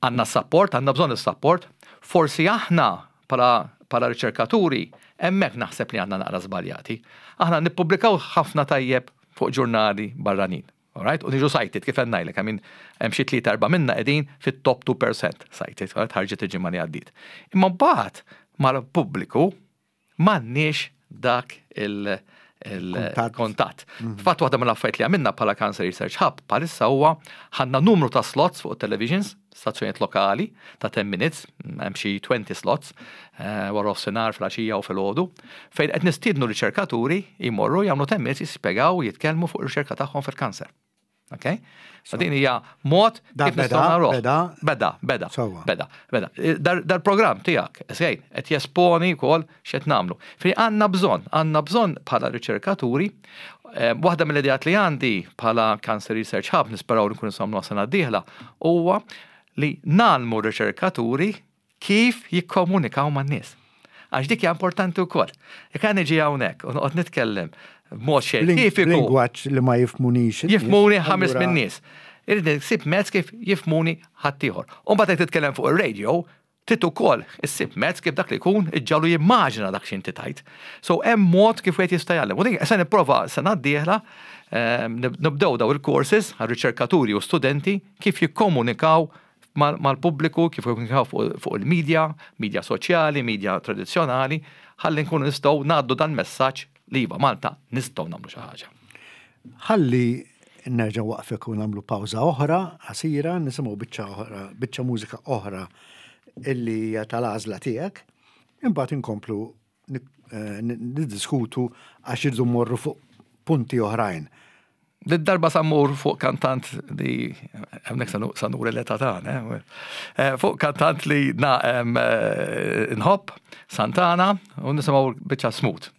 għandna support, għandna bżonn is-support, forsi aħna pala pala riċerkaturi, hemmhekk naħseb li għandna naqra żbaljati. Aħna nippubblikaw ħafna tajjeb fuq ġurnali barranin. Alright? U niġu cited, kif qed ngħidlek, I mean, hemm xi tlieta erba' minna qegħdin fit-top 2% cited, alright, ħarġet il-ġimgħa li għaddiet. Imma mbagħad mal-pubbliku m'għandniex dak il-kontatt. Mhm. Fatt waħda mill-affarijiet li għamilna bħala Cancer Research Hub bħalissa huwa ħadna numru ta' slots fuq televisions, stazzjonijiet lokali ta' 10 minutes, hemm xi 20 slots, eh, wara nofsinhar fil-għaxija u filgħodu, fejn qed nistiednu riċerkaturi jmorru jagħmlu 10 minutes jispjegaw jitkellmu fuq ir-riċerka tagħhom fil-kanser. Ok? So din hija mod kif nistgħu nagħmluh. Beda, beda, beda, beda, beda. Dal-programm tiegħek, sejn, qed jesponi wkoll x'qed nagħmlu. Fri għandna bżonn, għandna bżonn bħala riċerkaturi, eh, waħda mill-ideat li għandi bħala Cancer Research Hub, nisperaw li nkunu nagħmlu sena d-dieħla, huwa li nagħlmu riċerkaturi kif jikkomunikaw man-nies. Għax dik hija importanti wkoll. Jekk għan niġi hawnhekk u noqgħod nitkellem b'mod xjentifiku. Lingwaġġ li ma jifmunix. Jifmuni ħames minn nies. Irrid nsib mezz kif jifmuni ħaddieħor. U mbagħad jekk titkellem fuq ir-radio, trid ukoll issib mezz kif dak li jkun iġġagħlu jimmaġina dak x'inti tajt. So hemm mod kif wieħed jista' jgħallem. U din se nipprova sena d-dieħla ehm, nibdew daw il-courses għal riċerkaturi u studenti kif jikkomunikaw mal-pubbliku, kif jikkomunikaw fuq il-medja, medja soċjali, medja tradizzjonali, ħalli nkunu nistgħu ngħaddu dan messaġġ li iva Malta nistgħu nagħmlu xi ħaġa. Ħalli nerġa' waqfek u nagħmlu pawża oħra qasira, nisimgħu biċċa oħra, biċċa mużika oħra illi hija tal-għażla tiegħek, imbagħad inkomplu eh, niddiskutu għax irdu mmorru fuq punti oħrajn. Did-darba sa mmur fuq kantant li hemmhekk sa nuri l-età tagħna, eh, eh, fuq kantant li na eh, nħobb Santana u nisimgħu biċċa smooth.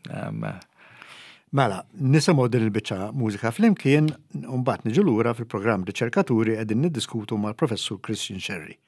Mela, nisimgħu din il-biċċa mużika flimkien u mbagħad niġu lura fil-programm Riċerkaturi qegħdin niddiskutu mal-Professur Christian Scerri.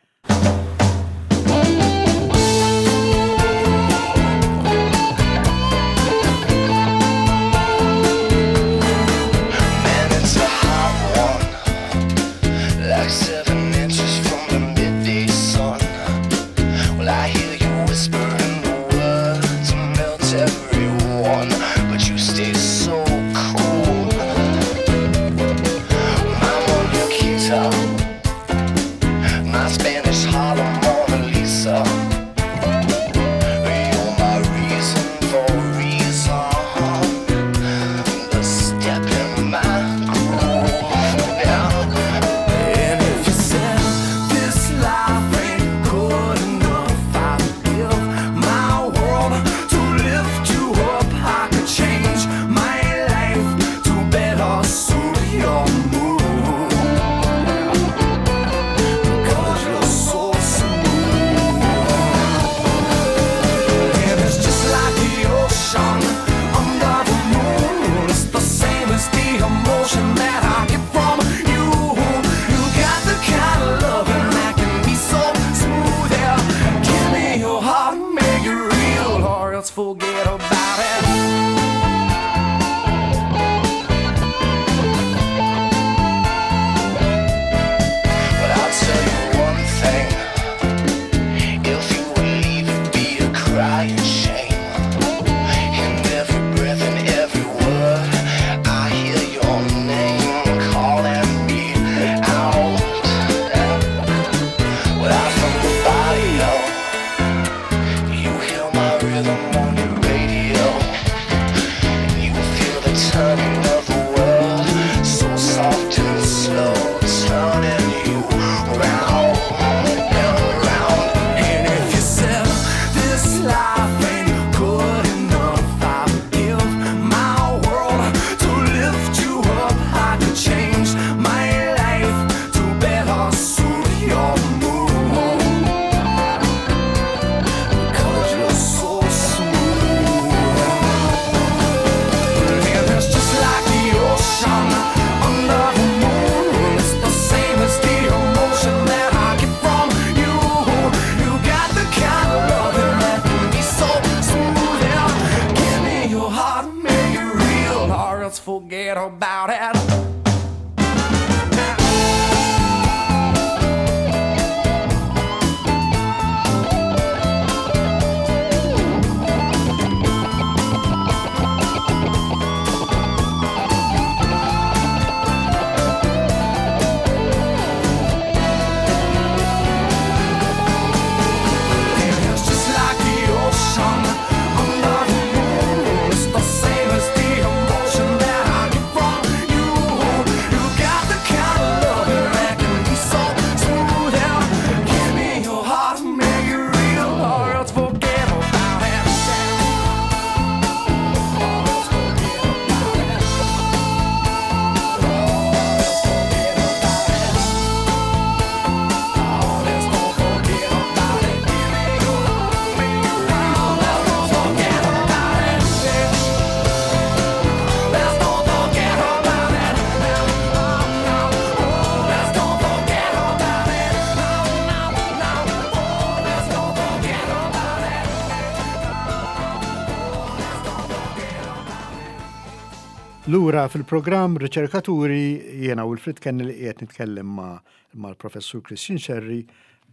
Lura fil-programm Riċerkaturi jiena Wilfrid Kenny li qiegħed nitkellem ma' mal-Professur Christian Scerri,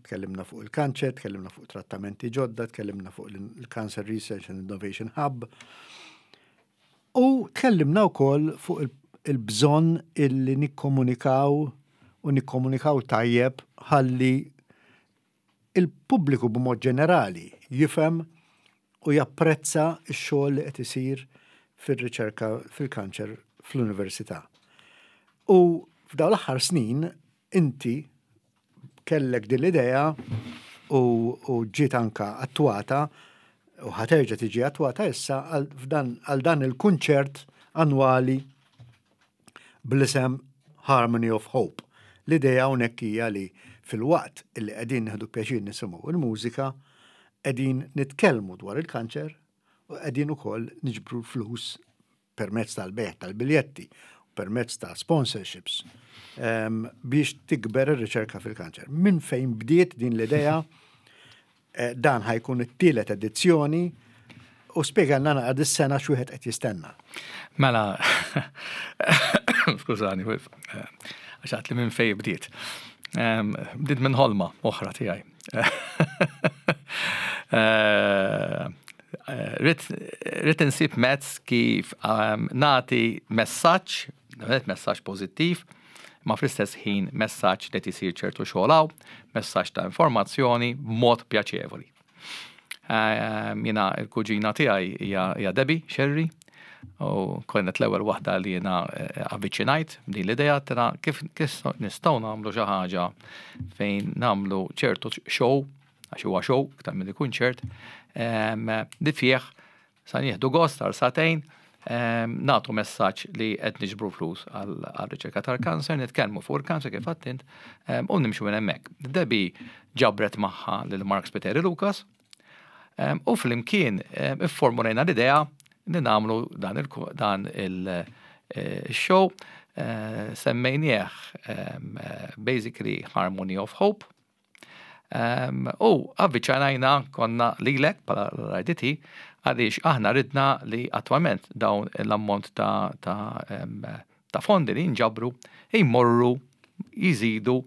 tkellimna fuq il-kanċer, tkellimna fuq trattamenti ġodda, tkellimna fuq il-Cancer Research and Innovation Hub. U tkellimna wkoll fuq il-bżonn illi nikkomunikaw u nikkomunikaw tajjeb ħalli il-pubbliku b'mod ġenerali jifhem u japprezza x-xogħol li qed isir fir-riċerka fil-kanċer fl-università. U f'dawn l-aħħar snin inti kellek din l-idea u, u ġiet anka attwata u ħa terġa' tiġi attwata issa għal dan il-kunċert annwali bl-isem Harmony of Hope. L-idea hawnhekk hija li filwaqt li qegħdin nieħdu pjaċir nisimgħu il-mużika, qegħdin nitkellmu dwar il-kanċer u qegħdin ukoll niġbru l-flus permezz tal-bejgħ tal-biljetti, permezz ta' sponsorships biex tikber ir-riċerka fil-kanċer. Minn fejn bdiet din l-idea? Dan ħa jkun it-tielet edizzjoni u spjegalna naqra dis-sena x'wieħed qed jistenna. Mela, skużani, għax għedt li minn fejn bdiet. Bdiet minn ħolma oħra tiegħi. Ridt insib mezz kif nagħti messaġġ, messaġġ pożittiv, ma fl-istess ħin messaġġ li tisir ċertu xogħol hawn, messaġġ ta' informazzjoni b'mod pjaċevoli. Jiena il-kuġina tiegħi hija Debbie Scerri, u kienet l-ewwel waħda li jiena avviċinajt din l-idea tena kif nistgħu nagħmlu xi ħaġa fejn nagħmlu ċertu show, għax huwa show iktar milli kunċert, li fih sa nieħdu gost għal sagħtejn, nagħtu messaġġ li qed niġbru flus għal riċerka tal-kanser, nitkellmu fuq il-kanser kif għedt int, u nimxu minn hemmhekk. Debbie ġabret magħha lil Mark Spiteri Lucas, u flimkien ifformulejna l-idea li nagħmlu dan il-show, semmejnieh basically Harmony of Hope. U avviċinajna konna lilek bħala l-RIDT għaliex aħna ridna li attwalment dawn l-ammont ta' fondi li nġabru jmorru jiżidu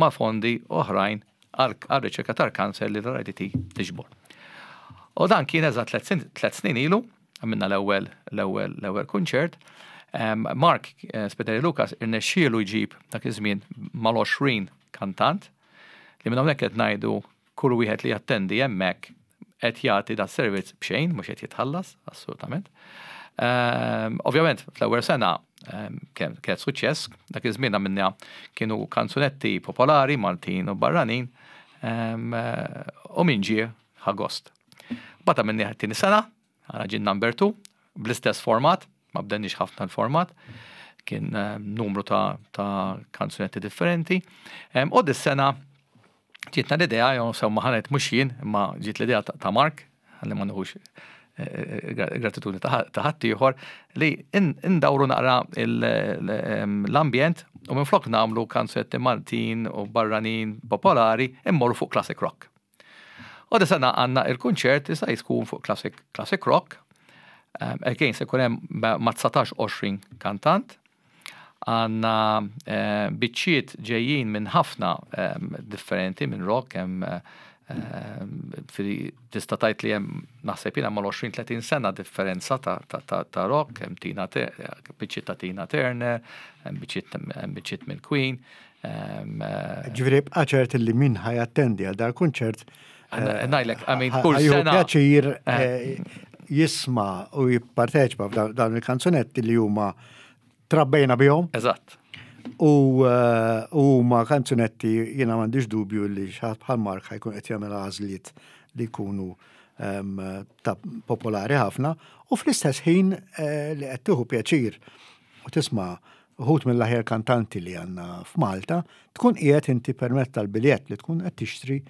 ma' fondi oħrajn għal riċerka tal-kanser li l-RIDT tiġbor. U dan kien eżatt 3 snin ilu, għamilna l-ewwel kunċert. Mark Spiteri Lucas irnexxielu jġib dak iż-żmien mal-20 kantant li minn hawnhekk qed ngħidu kull wieħed li jattendi hemmhekk qed jagħti da servizz b'xejn, mhux qed jitħallas, assolutament. Ovvjament, fl-ewwel sena kienet suċċess, dak iż-żmien għamilna kienu kanzunetti popolari Maltin u barranin, u min ġie ħa gost. Bata minni tieni sena, għana ġin number 2, bl-istess format, ma bdilniex ħafna l-format, kien numru ta' kanzunetti differenti. U dis-sena ġietna l-idea, jew semma ħanet mhux jien, imma ġiet l-idea ta' Mark, għalli ma nħux gratitudni ta' ħaddieħor, li indawru naqra l-ambjent u minflok nagħmlu kanzunetti Maltin u barranin popolari immorru fuq classic rock. U dis-sena għandna il-kunċert issa jkun fuq classic rock. Again, se jkun hemm ma' 19-20 kantant. Għandna biċċiet ġejjin minn ħafna differenti minn rock, hemm tista' tgħid li hemm naħseb jiena mal-20-30 sena differenza ta' rock, hemm Tina biċċiet ta' Tina Turner, hemm biċċiet minn Queen. Ġifieri bqa' ċert li min ħa jattendi għal dal-kunċert Ngħidlek, I mean, kull ħa jieħu sena. pjaċir jisma' u jipparteċipa f'dawn il-kanzunetti li huma trabbejna bihom. U huma kanzunetti jiena m'għandix dubju li xi ħadd bħal Mark ħa jkun qed jagħmel għażliet li jkunu ta' popolari ħafna u fl-istess ħin li qed tieħu pjaċir u tisma' uħud mill-aħjar kantanti li għandna f'Malta, tkun qiegħed inti permezz tal-biljett li tkun qed tixtri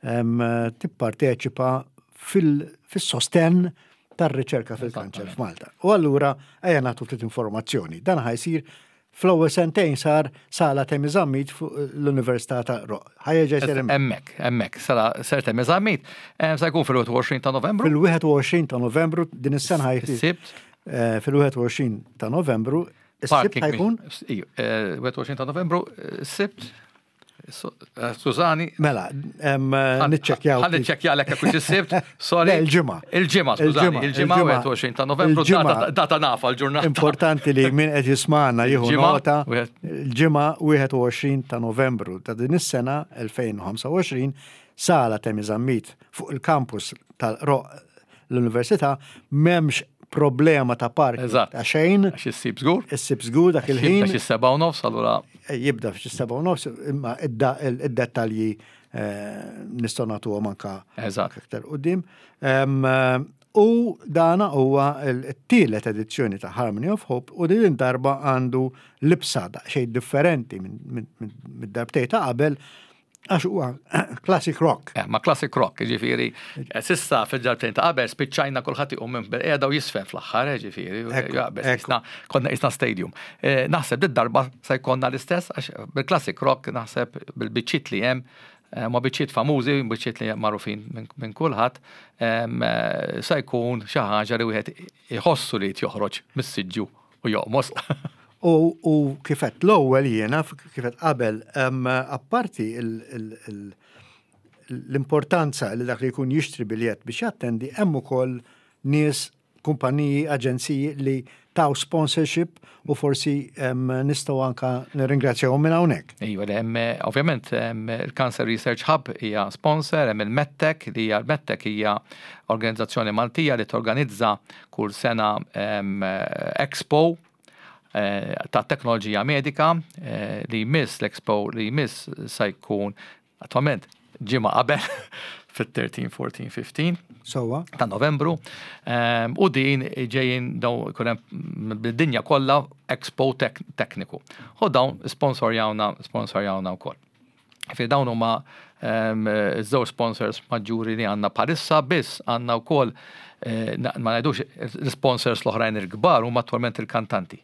tipparteċipa fis-sostenn tar-riċerka fil-kanċer f'Malta. U allura ejja nagħtu ftit informazzjoni. Dan ħa jsir fl-ewwel sentejn sar sala Temi Zammit fuq l-Università ta' Roq. Ħa jerġa' jsir hemmhekk. Hemmhekk, sala Sir Temi Zammit. Sa jkun fil-21 ta' Novembru. Fil-21 ta' Novembru din is-sena ħa jsir. Sibt. Fil-21 ta' Novembru, is-Sibt Parking ħa jkun? Iju, 21 ta' Novembru, Sibt. Skużani. Mela, niċċekkjaw. Ħalli niċċekkja lek hekk is-Sibt. Sorry. Le, il-ġimgħa. Il-ġimgħa, skużani, Il-ġimgħa, il-ġimgħa il-ġimgħa. 21 ta' Novembru, Il-ġimgħa. data nafa l-ġurnata. Importanti li min qed jismagħna jieħu Il-ġimgħa, nota. wieħed. Il-ġimgħa 21 ta' Novembru ta' din is-sena 2025 sala Temi Zammit fuq il-campus tal-Roq l-Università m'hemmx problema ta' park ta' xejn. Għax issib żgur. Issib żgur dak il-ħin. Jibda xi 7:30 allura. Jibda f'xi 7:30 imma id-dettalji nistgħu nagħtuhom anka aktar quddiem. U dana huwa t-tielet edizzjoni ta' Harmony of Hope u din darba għandu libsa daqsxejn differenti mid-darbtej ta' qabel għax huwa classic rock. Eh, ma classic rock, ġifieri, eh, sissa fil-ġarbtejn ta' qabel spiċċajna kulħadd iqum minn bil-qiegħda u jisfen fl-aħħar, eh, ġifieri, konna isna stadium. Naħseb dit darba se jkollna l-istess għax bil-classic rock naħseb bil-biċċiet li hemm ma biċċiet famużi, biċċiet li magħrufin minn kulħadd, se jkun xi ħaġa li wieħed iħossu li joħroġ mis-siġġu u joqmos. U kifet l-ewwel jiena, kifet qabel, apparti l-importanza li dak li jkun jixtri biljett biex jattendi, hemm ukoll nies, kumpaniji, aġenziji li taw sponsorship u forsi nistgħu anka nirringrazzjahom minn hawnhekk. Iva, hemm ovvjament il-Cancer Research Hub hija sponsor, hemm il-MedTech li hija l-MedTech hija organizzazzjoni Maltija li torganizza kull sena expo ta' teknoloġija medika li jmiss l-expo li jmiss se jkun attualment ġimgħa qabel fit-13, 14, 15 Sewwa. ta' Novembru. U din ġejjin daw ikun hemm bid-dinja kollha expo tekniku. U dawn sponsorjawna sponsorjawna wkoll. Fi dawn huma żewġ sponsors maġġuri li għandna bħalissa biss għandna wkoll eh, ma ngħidux l-sponsors l-oħrajn il-kbar huma attualment il-kantanti.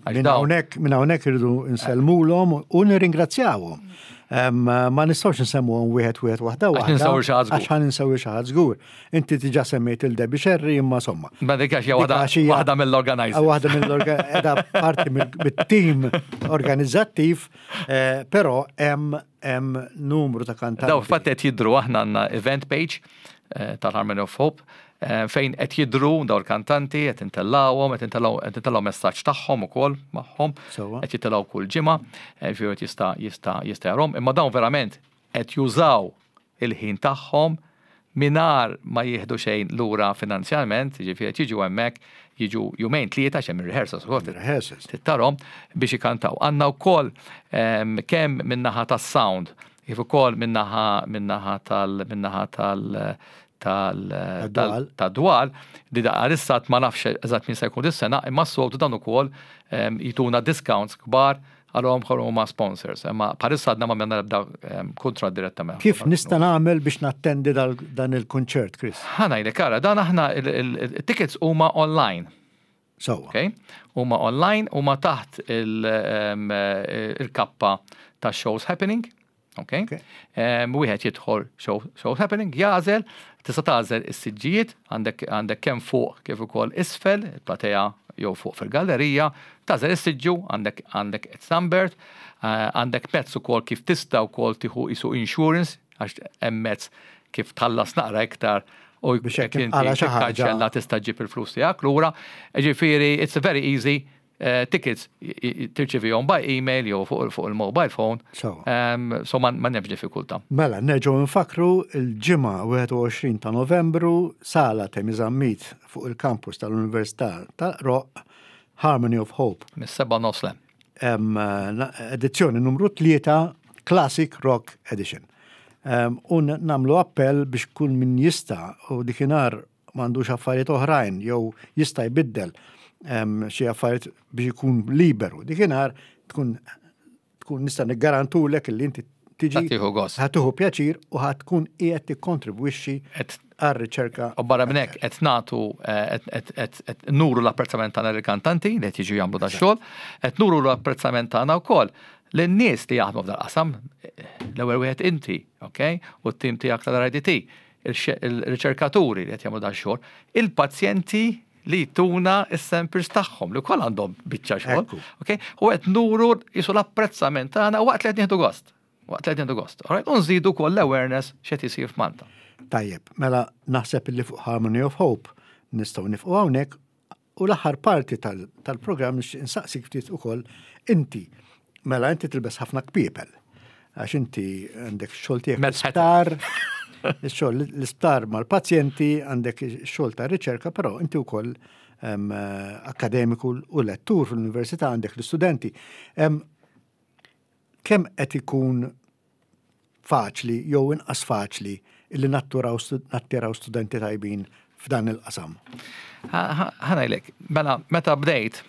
Minn hawnhekk minn hawnhekk irridu nsellmulhom u nirringrazzjawhom. Ma nistgħux nsemmuhom wieħed wieħed waħda waħda. Għax ħa ninsew xi ħadd żgur. Inti diġà semmejt il Debbie Sherry imma somma. Ma dik għax hija waħda mill-organizers. Waħda mill-organizers, parti mit-team organizzattiv, eh, però hemm hemm numru ta' kantanti. Daw fatt qed jidhru aħna għandna event page eh, tal-Harmony of Hope eh, fejn qed jidhru daw il-kantanti qed intellawhom, qed intellgħu messaġġ tagħhom ukoll magħhom, qed jitilgħu kull ġimgħa, eh, ġifieri jista' jista' jista' jarhom, imma dawn verament qed jużaw il-ħin tagħhom mingħajr ma jieħdu xejn lura finanzjarment, jiġifieri qed jiġu hemmhekk, jiġu jumejn tlieta għax hemm ir-rehearsals ukoll trid tarhom biex ikantaw. Għandna wkoll ehm, kemm min-naħa tas-sound kif ukoll min-naħa min-naħa tal min-naħa tal tal-dwal li għalissa ma nafx eżatt min se jkun dis-sena, imma s-soltu dan ukoll ehm, jituna discounts kbar Għalhom bħal huma sponsors, imma bħalissa għadna ma għamilna l-ebda ehm, kuntratt direttament. Kif nista' nagħmel biex nattendi dan il-kunċert, Chris? Ħa ngħidlek ara, dan aħna il-tickets huma online. Sewwa. Okay? Huma online, huma taħt ehm, il-kappa ta' shows happening. Okay? Wieħed jidħol show, show happening, jażel, tista' tagħżel is-siġġijiet, għandek għandek kemm fuq kif ukoll isfel, il-platea jew fuq fil-gallerija, tagħżel is-siġġu, għandek għandek it's numbered, eh, għandek mezz ukoll kif tista' wkoll tieħu isu insurance għax hemm mezz kif tħallas naqra iktar u biex jekk inti tikkanċella tista' ġġib il-flus tiegħek lura. Ġifieri it's very easy Eh, tickets tirċivihom by email jew fuq il-mobile phone. So ma nefx diffikultà. Mela, nerġgħu nfakru l-ġimgħa 21 ta' Novembru sala Temi Zammit fuq il-kampus tal-Università tal-Roq Harmony of Hope. Mis-seba' nofs lem. Edizzjoni numru 3 Classic Rock Edition. U namlu appell biex kull min jista' u dikinar m'għandux affarijiet oħrajn jew jista' jbiddel xi affarijiet biex ikun liberu. Dikinhar tkun tkun nista' niggarantulek li inti tiġi tieħu gost. Ħa tieħu pjaċir u ħa tkun qiegħed tikkontribwixxi għar-riċerka. U barra minn hekk qed nagħtu eh, qed nuru l-apprezzament tagħna lill-kantanti li qed jiġu jagħmlu dax-xogħol, qed nuru l-apprezzament tagħna wkoll lin-nies li jaħdmu f'dal-qasam, l-ewwel wieħed inti, ok, u t-tim tiegħek tal-RIDT il-riċerkaturi li qed jagħmlu dan xogħol, il-pazjenti li jtuna s-samples tagħhom li wkoll għandhom biċċa xogħol. Okay? U qed nuru jisu l-apprezzament tagħna waqt li qed nieħdu gost. Waqt li qed nieħdu gost. Alright? U nżidu wkoll l-awareness x'qed isir f'Malta. Tajjeb, mela naħseb li fuq Harmony of Hope nistgħu nifqu hawnhekk U l-aħħar parti tal-programm nixtieq insaqsik ftit ukoll inti. Mela inti tilbes ħafna kpiepel. Għax inti għandek xogħol tiegħek sptar. Ix-xogħol l-isptar mal-pazjenti, għandek ix-xogħol ta' riċerka, però inti wkoll akademiku u lettur fl-università għandek l-istudenti. Kemm qed ikun faċli jew inqas faċli illi natturaw nattiraw studenti tajbin f'dan il-qasam? Ħa ngħidlek, mela meta bdejt,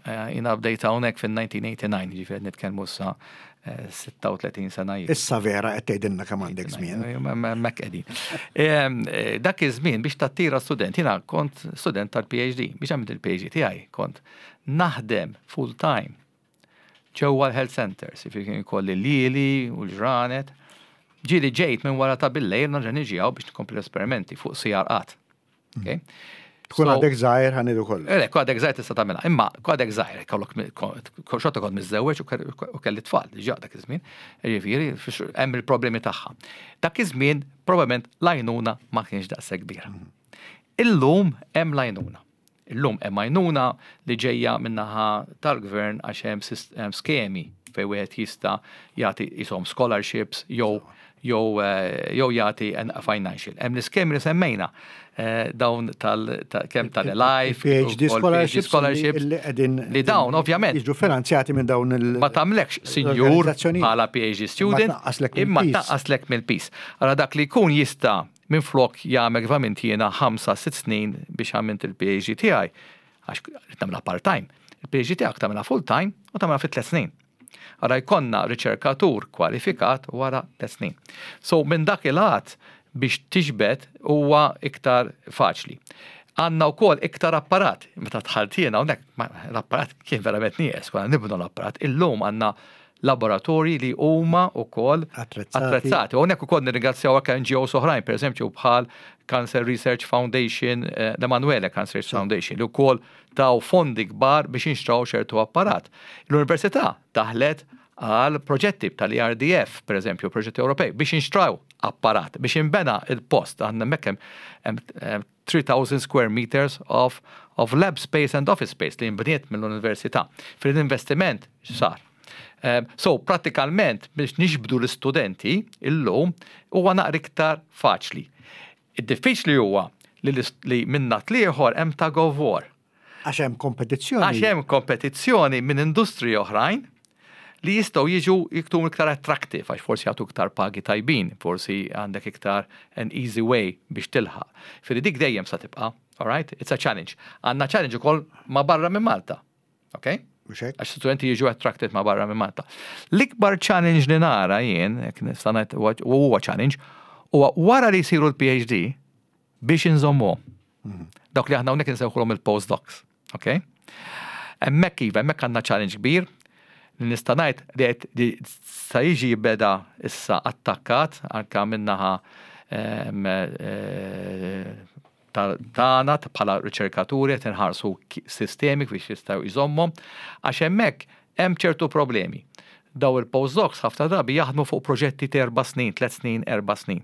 eh, jiena bdejt hawnhekk fin-1989, ġifieri nitkellmu issa 36 eh, sena ilu. Issa vera qed tgħidilna kemm għandek żmien. Mek qegħdin. Eh, dak iż-żmien biex tattira student, jiena kont student tal-PhD, biex għamilt il-PhD tiegħi kont naħdem full time ġewwa l-health centers, jiġifieri kien ikolli lili u l-ġranet. Ġieli ġejt minn wara ta' billejl nerġa' niġi hawn biex nkompli l-esperimenti fuq sigħar qatt. Okay? Tkun għadek żgħir ħa ngħidu kollu. Le, għadek żgħir tista' tagħmilha, imma għadek żgħir, kollok xorta kont miżżewweġ u kelli tfal diġà dak iż-żmien. Jiġifieri hemm il-problemi tagħha. Dak iż-żmien probabbilment l-għajnuna ma kienx daqshekk kbira. Mhm. Illum hemm l-għajnuna. Illum hemm għajnuna li ġejja min-naħa tal-gvern għax hemm skemi fejn wieħed jista' jagħti ishom scholarships jew jew jew jagħti financial. Hemm l-iskemi li semmejna eh, dawn tal kemm tal-life, PhD scholarships, scholarships li qegħdin li dawn ovvjament jiġu finanzjati minn dawn il Ma tagħmlekx sinjur bħala PhD student imma tnaqqaslek mill-piż. Ara dak li jkun jista' Minflok jagħmel kif għamilt jiena ħamsa, sitt snin biex għamilt il-PhD tiegħi, għax ridt nagħmilha part-time. Il-PhD tiegħek tagħmilha full-time u tagħmilha fi tliet snin. Ara jkollna riċerkatur kwalifikat wara tliet snin. So minn dak il-għad biex tiġbed huwa iktar faċli. Għandna wkoll iktar apparat. Meta dħalt jiena hawnhekk l-apparat kien verament nieqes, konna nibnu l-apparat. Illum għandna laboratorji li huma wkoll attrezzati. U hawnhekk ukoll nirringrazzjaw anke NGOs oħrajn, pereżempju bħal Cancer Research Foundation, eh, l-Emanuele Cancer Research Foundation, li wkoll taw fondi kbar biex inxtraw ċertu apparat. L-Università daħlet għal proġetti tal-ERDF, per eżempju, proġetti Ewropej, biex inxtraw apparat, biex inbena il-post, għandna mekkem 3,000 square meters of, of lab space and office space li nbniet mill-università. Fil-investiment sar. Ehm, so, pratikalment, biex nixbdu l-istudenti illum huwa naqra iktar faċli. Id-diffiċli huwa li, li minna tlieħor hemm tug of war. Għax hemm kompetizzjoni. Għax hemm kompetizzjoni minn industriji oħrajn li jistgħu jiġu jkunu iktar attractive għax forsi jagħtu iktar pagi tajbin, forsi għandek iktar an easy way biex tilħaq. Firri dik dejjem sa tibqa', all right? It's a challenge. Għandna challenge ukoll ma' barra minn Malta. Ok? Għax studenti jiġu attracted ma' barra minn Malta. L-ikbar challenge li nara jien, jekk nista' ngħid huwa challenge, huwa wara li jsiru l-PhD biex inżommuhom. Dawk li aħna hawnhekk insewħulhom il-postdocs. Ok? Hemmhekk iva, hemmhekk għandna challenge kbir li nista' ngħid li qed li sa jiġi beda issa attakkat anke min-naħa ehm, eh, tagħna bħala riċerkaturi qed inħarsu sistemi biex jistgħu jżommhom għax hemmhekk hemm ċertu problemi. Daw il-postdocs ħafna drabi jaħdmu fuq proġetti ta' erba' snin, tliet snin, erba' snin.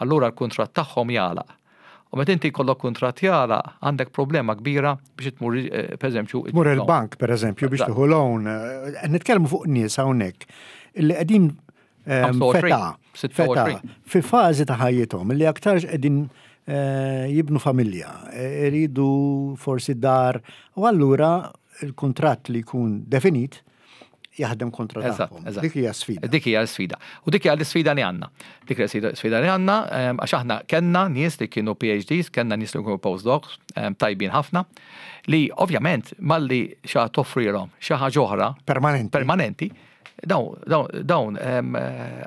Allura l-kuntratt tagħhom jagħlaq. U meta inti jkollok kuntratt jagħlaq, għandek problema kbira biex tmur eh, pereżempju. Tmur il-bank pereżempju biex tieħu loan. Eh, nitkellmu fuq nies hawnhekk illi qegħdin eh, feta, feta, fi fażi ta' ħajjithom li aktarx qegħdin jibnu familja, iridu forsi dar, u allura il-kuntratt li jkun definit jaħdem kontra tagħhom. Dik hija sfida. Dik hija sfida. U dik hija l-isfida li għandna. Dik hija sfida li għandna ehm, għax aħna kellna nies li kienu PhDs, kellna nies li kienu postdocs, ehm, tajbin ħafna, li ovvjament malli xa toffrilhom xi ħaġa oħra permanenti. Permanenti dawn dawn ehm,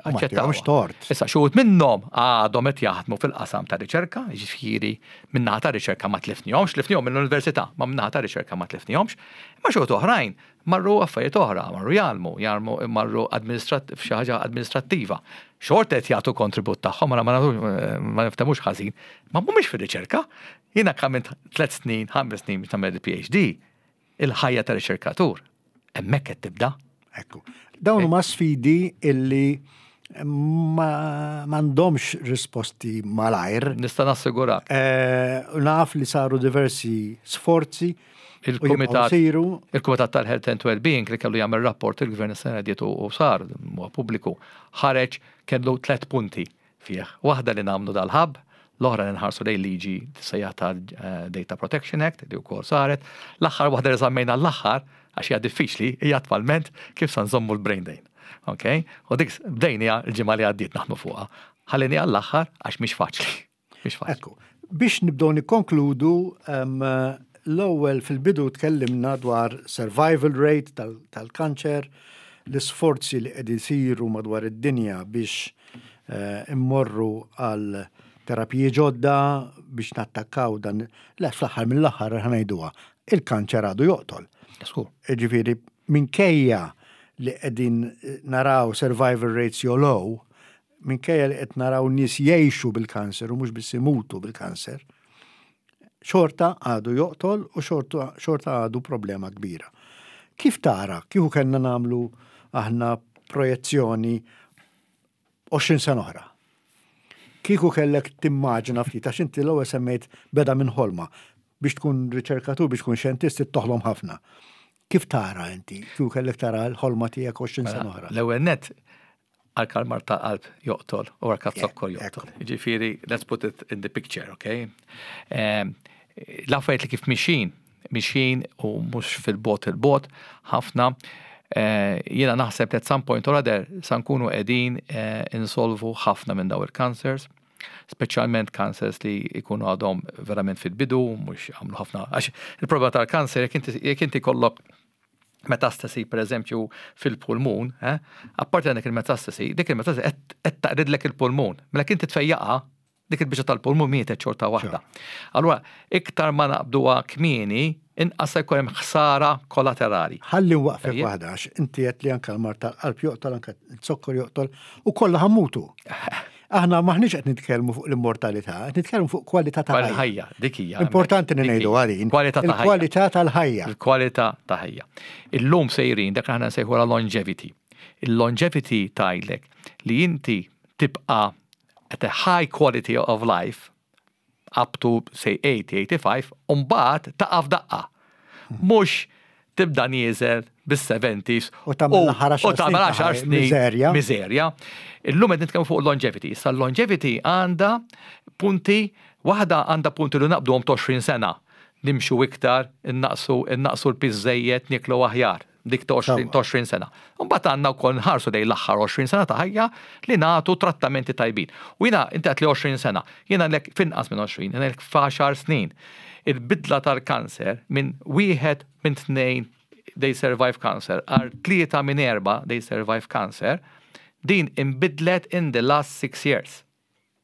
aċċettaw. tort. Issa xi minnhom għadhom qed jaħdmu fil-qasam ta' riċerka, jiġifieri min-naħa ta' riċerka ma tlifnihomx, tlifnihom mill-università, ma min-naħa ta' riċerka ma tlifnihomx, imma xi oħrajn Marru affarijiet oħra, marru jgħallmu, jgħallmu marru f'xi ħaġa amministrattiva. Xorta qed jagħtu kontribut tagħhom, ma ma niftemux ħażin, ma mhumiex fir-riċerka. Jiena għamilt tliet snin, ħames snin biex nagħmel il-PhD, il-ħajja ta' riċerkatur hemmhekk qed tibda. Ekku. Dawn huma sfidi illi ma m'għandhomx risposti malajr. Nista' nassigurak. Eh, naf li saru diversi sforzi Il-Kumitat il-Kumitat tal-Health and Wellbeing li kellu jagħmel rapport il-Gvern is-sena dietu u sar huwa pubbliku ħareġ kellu tliet punti. fih. Waħda li nagħmlu dal-hub, l-oħra li nħarsu lejn liġi tissejjaħ tal-Data Protection Act li wkoll saret. L-aħħar waħda li żammejna l-aħħar għax hija diffiċli hija attwalment kif sa nżommu l-brain drain. Ok? U dik bdejniha l-ġimgħa li għaddiet naħdmu fuqha. Ħalliniha l-aħħar għax mhix faċli. Mhix faċli. Ekku, biex nibdew nikkonkludu, l-ewwel fil-bidu tkellimna dwar survival rate tal-kanċer, l-isforzi li qed isiru madwar id-dinja biex eh, immorru għal terapiji ġodda biex nattakkaw dan, le fl-aħħar mill-aħħar ħa ngħiduha, il-kanċer għadu joqtol. Ġifieri minkejja li qegħdin naraw survival rates jogħlew, minkejja li qed naraw nies jgħixu bil-kanser u mhux biss imutu bil-kanser, xorta għadu joqtol u xorta għadu problema kbira. Kif tara, kieku kellna nagħmlu aħna projezzjoni 20 sena oħra? Kieku kellek timmaġina ftit, għax inti l-ewwel semmejt beda minn ħolma. Biex tkun riċerkatur, biex tkun xjentist, toħlom ħafna. Kif tara inti? Kieku kellek tara l-ħolma tiegħek 20 sena mela, oħra? L-ewwel net għal mard tal-qalb joqtol u għal zokkor joqtol. Ġifieri, let's put it in the picture, okay? Ehm, l-affarijiet li kif mixin, mixin u mhux fil-bot il-bot, ħafna, eh, jiena naħseb li at some point or other sa nkunu qegħdin eh, insolvu ħafna minn daw il-cancers, speċjalment cancers li jkunu għadhom verament fil-bidu, mhux għamlu ħafna. Għax il-problema tal-kanser, jekk inti kollok metastasi per eżempju fil-pulmun, eh, apparti għandek il-metastasi, dik il-metastasi qed taqridlek il-pulmun. Mela inti tfejjaqa, dik il-biċċa tal-pulmun mietet xorta waħda. Allura, iktar ma naqbduha kmieni, inqas se jkun hemm ħsara kollaterali. Ħalli waqfek waħda għax inti qed li anke l-mard tal-qalb joqtol anke z-zokkor joqtol u kollha ħa mmutu. Aħna maħniex qed nitkellmu fuq l-immortalità, qed nitkellmu fuq kwalità ta' ħajja. Dik hija. Importanti li ngħidu għalin. Kwalità ta' ħajja. Kwalità tal-ħajja. Il-kwalità ta' ħajja. Illum sejrin dak aħna nsejħu la longevity. Il-longevity tgħidlek li inti tibqa' at a high quality of life up to say 80, 85, u mbagħad taqa' f'daqqa. Mhux tibda nieżel bis-70s u tagħmel 10 snin miżerja. Miżerja. Illum qed nitkellmu fuq longevity. Issa longevity għandha punti, waħda għandha punti li naqbduhom 20 sena. Nimxu iktar, innaqsu innaqsu l-piż żejjed, nieklu aħjar. Dik ta' 20 sena. Mbagħad għandna wkoll nħarsu lejn l-aħħar 20 sena ta' ħajja li nagħtu trattamenti tajbin. U jiena inti għedt li 20 sena, jiena lek f'inqas minn 20, jiena lek f'għaxar snin. Il-bidla tal-kanser minn wieħed minn tnejn they survive cancer għal tlieta minn erba' they survive cancer, din inbidlet in the last six years.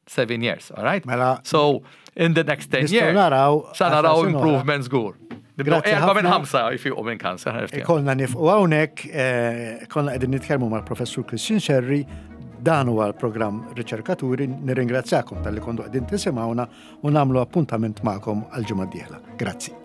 Seven years, all right? Mela, so, in the next 10 years, naraw, sa naraw improvement żgur. Grazzi Erba minn ħamsa jfiqu minn kanser. Konna nifqu hawnhekk, eh, konna qegħdin nitkellmu mal-Professur Christian Scerri, dan huwa l-programm Riċerkaturi, nirringrazzjakom talli kontu qegħdin tisimgħuna u nagħmlu appuntament magħkom għal ġimgħa d-dieħla. Grazzi.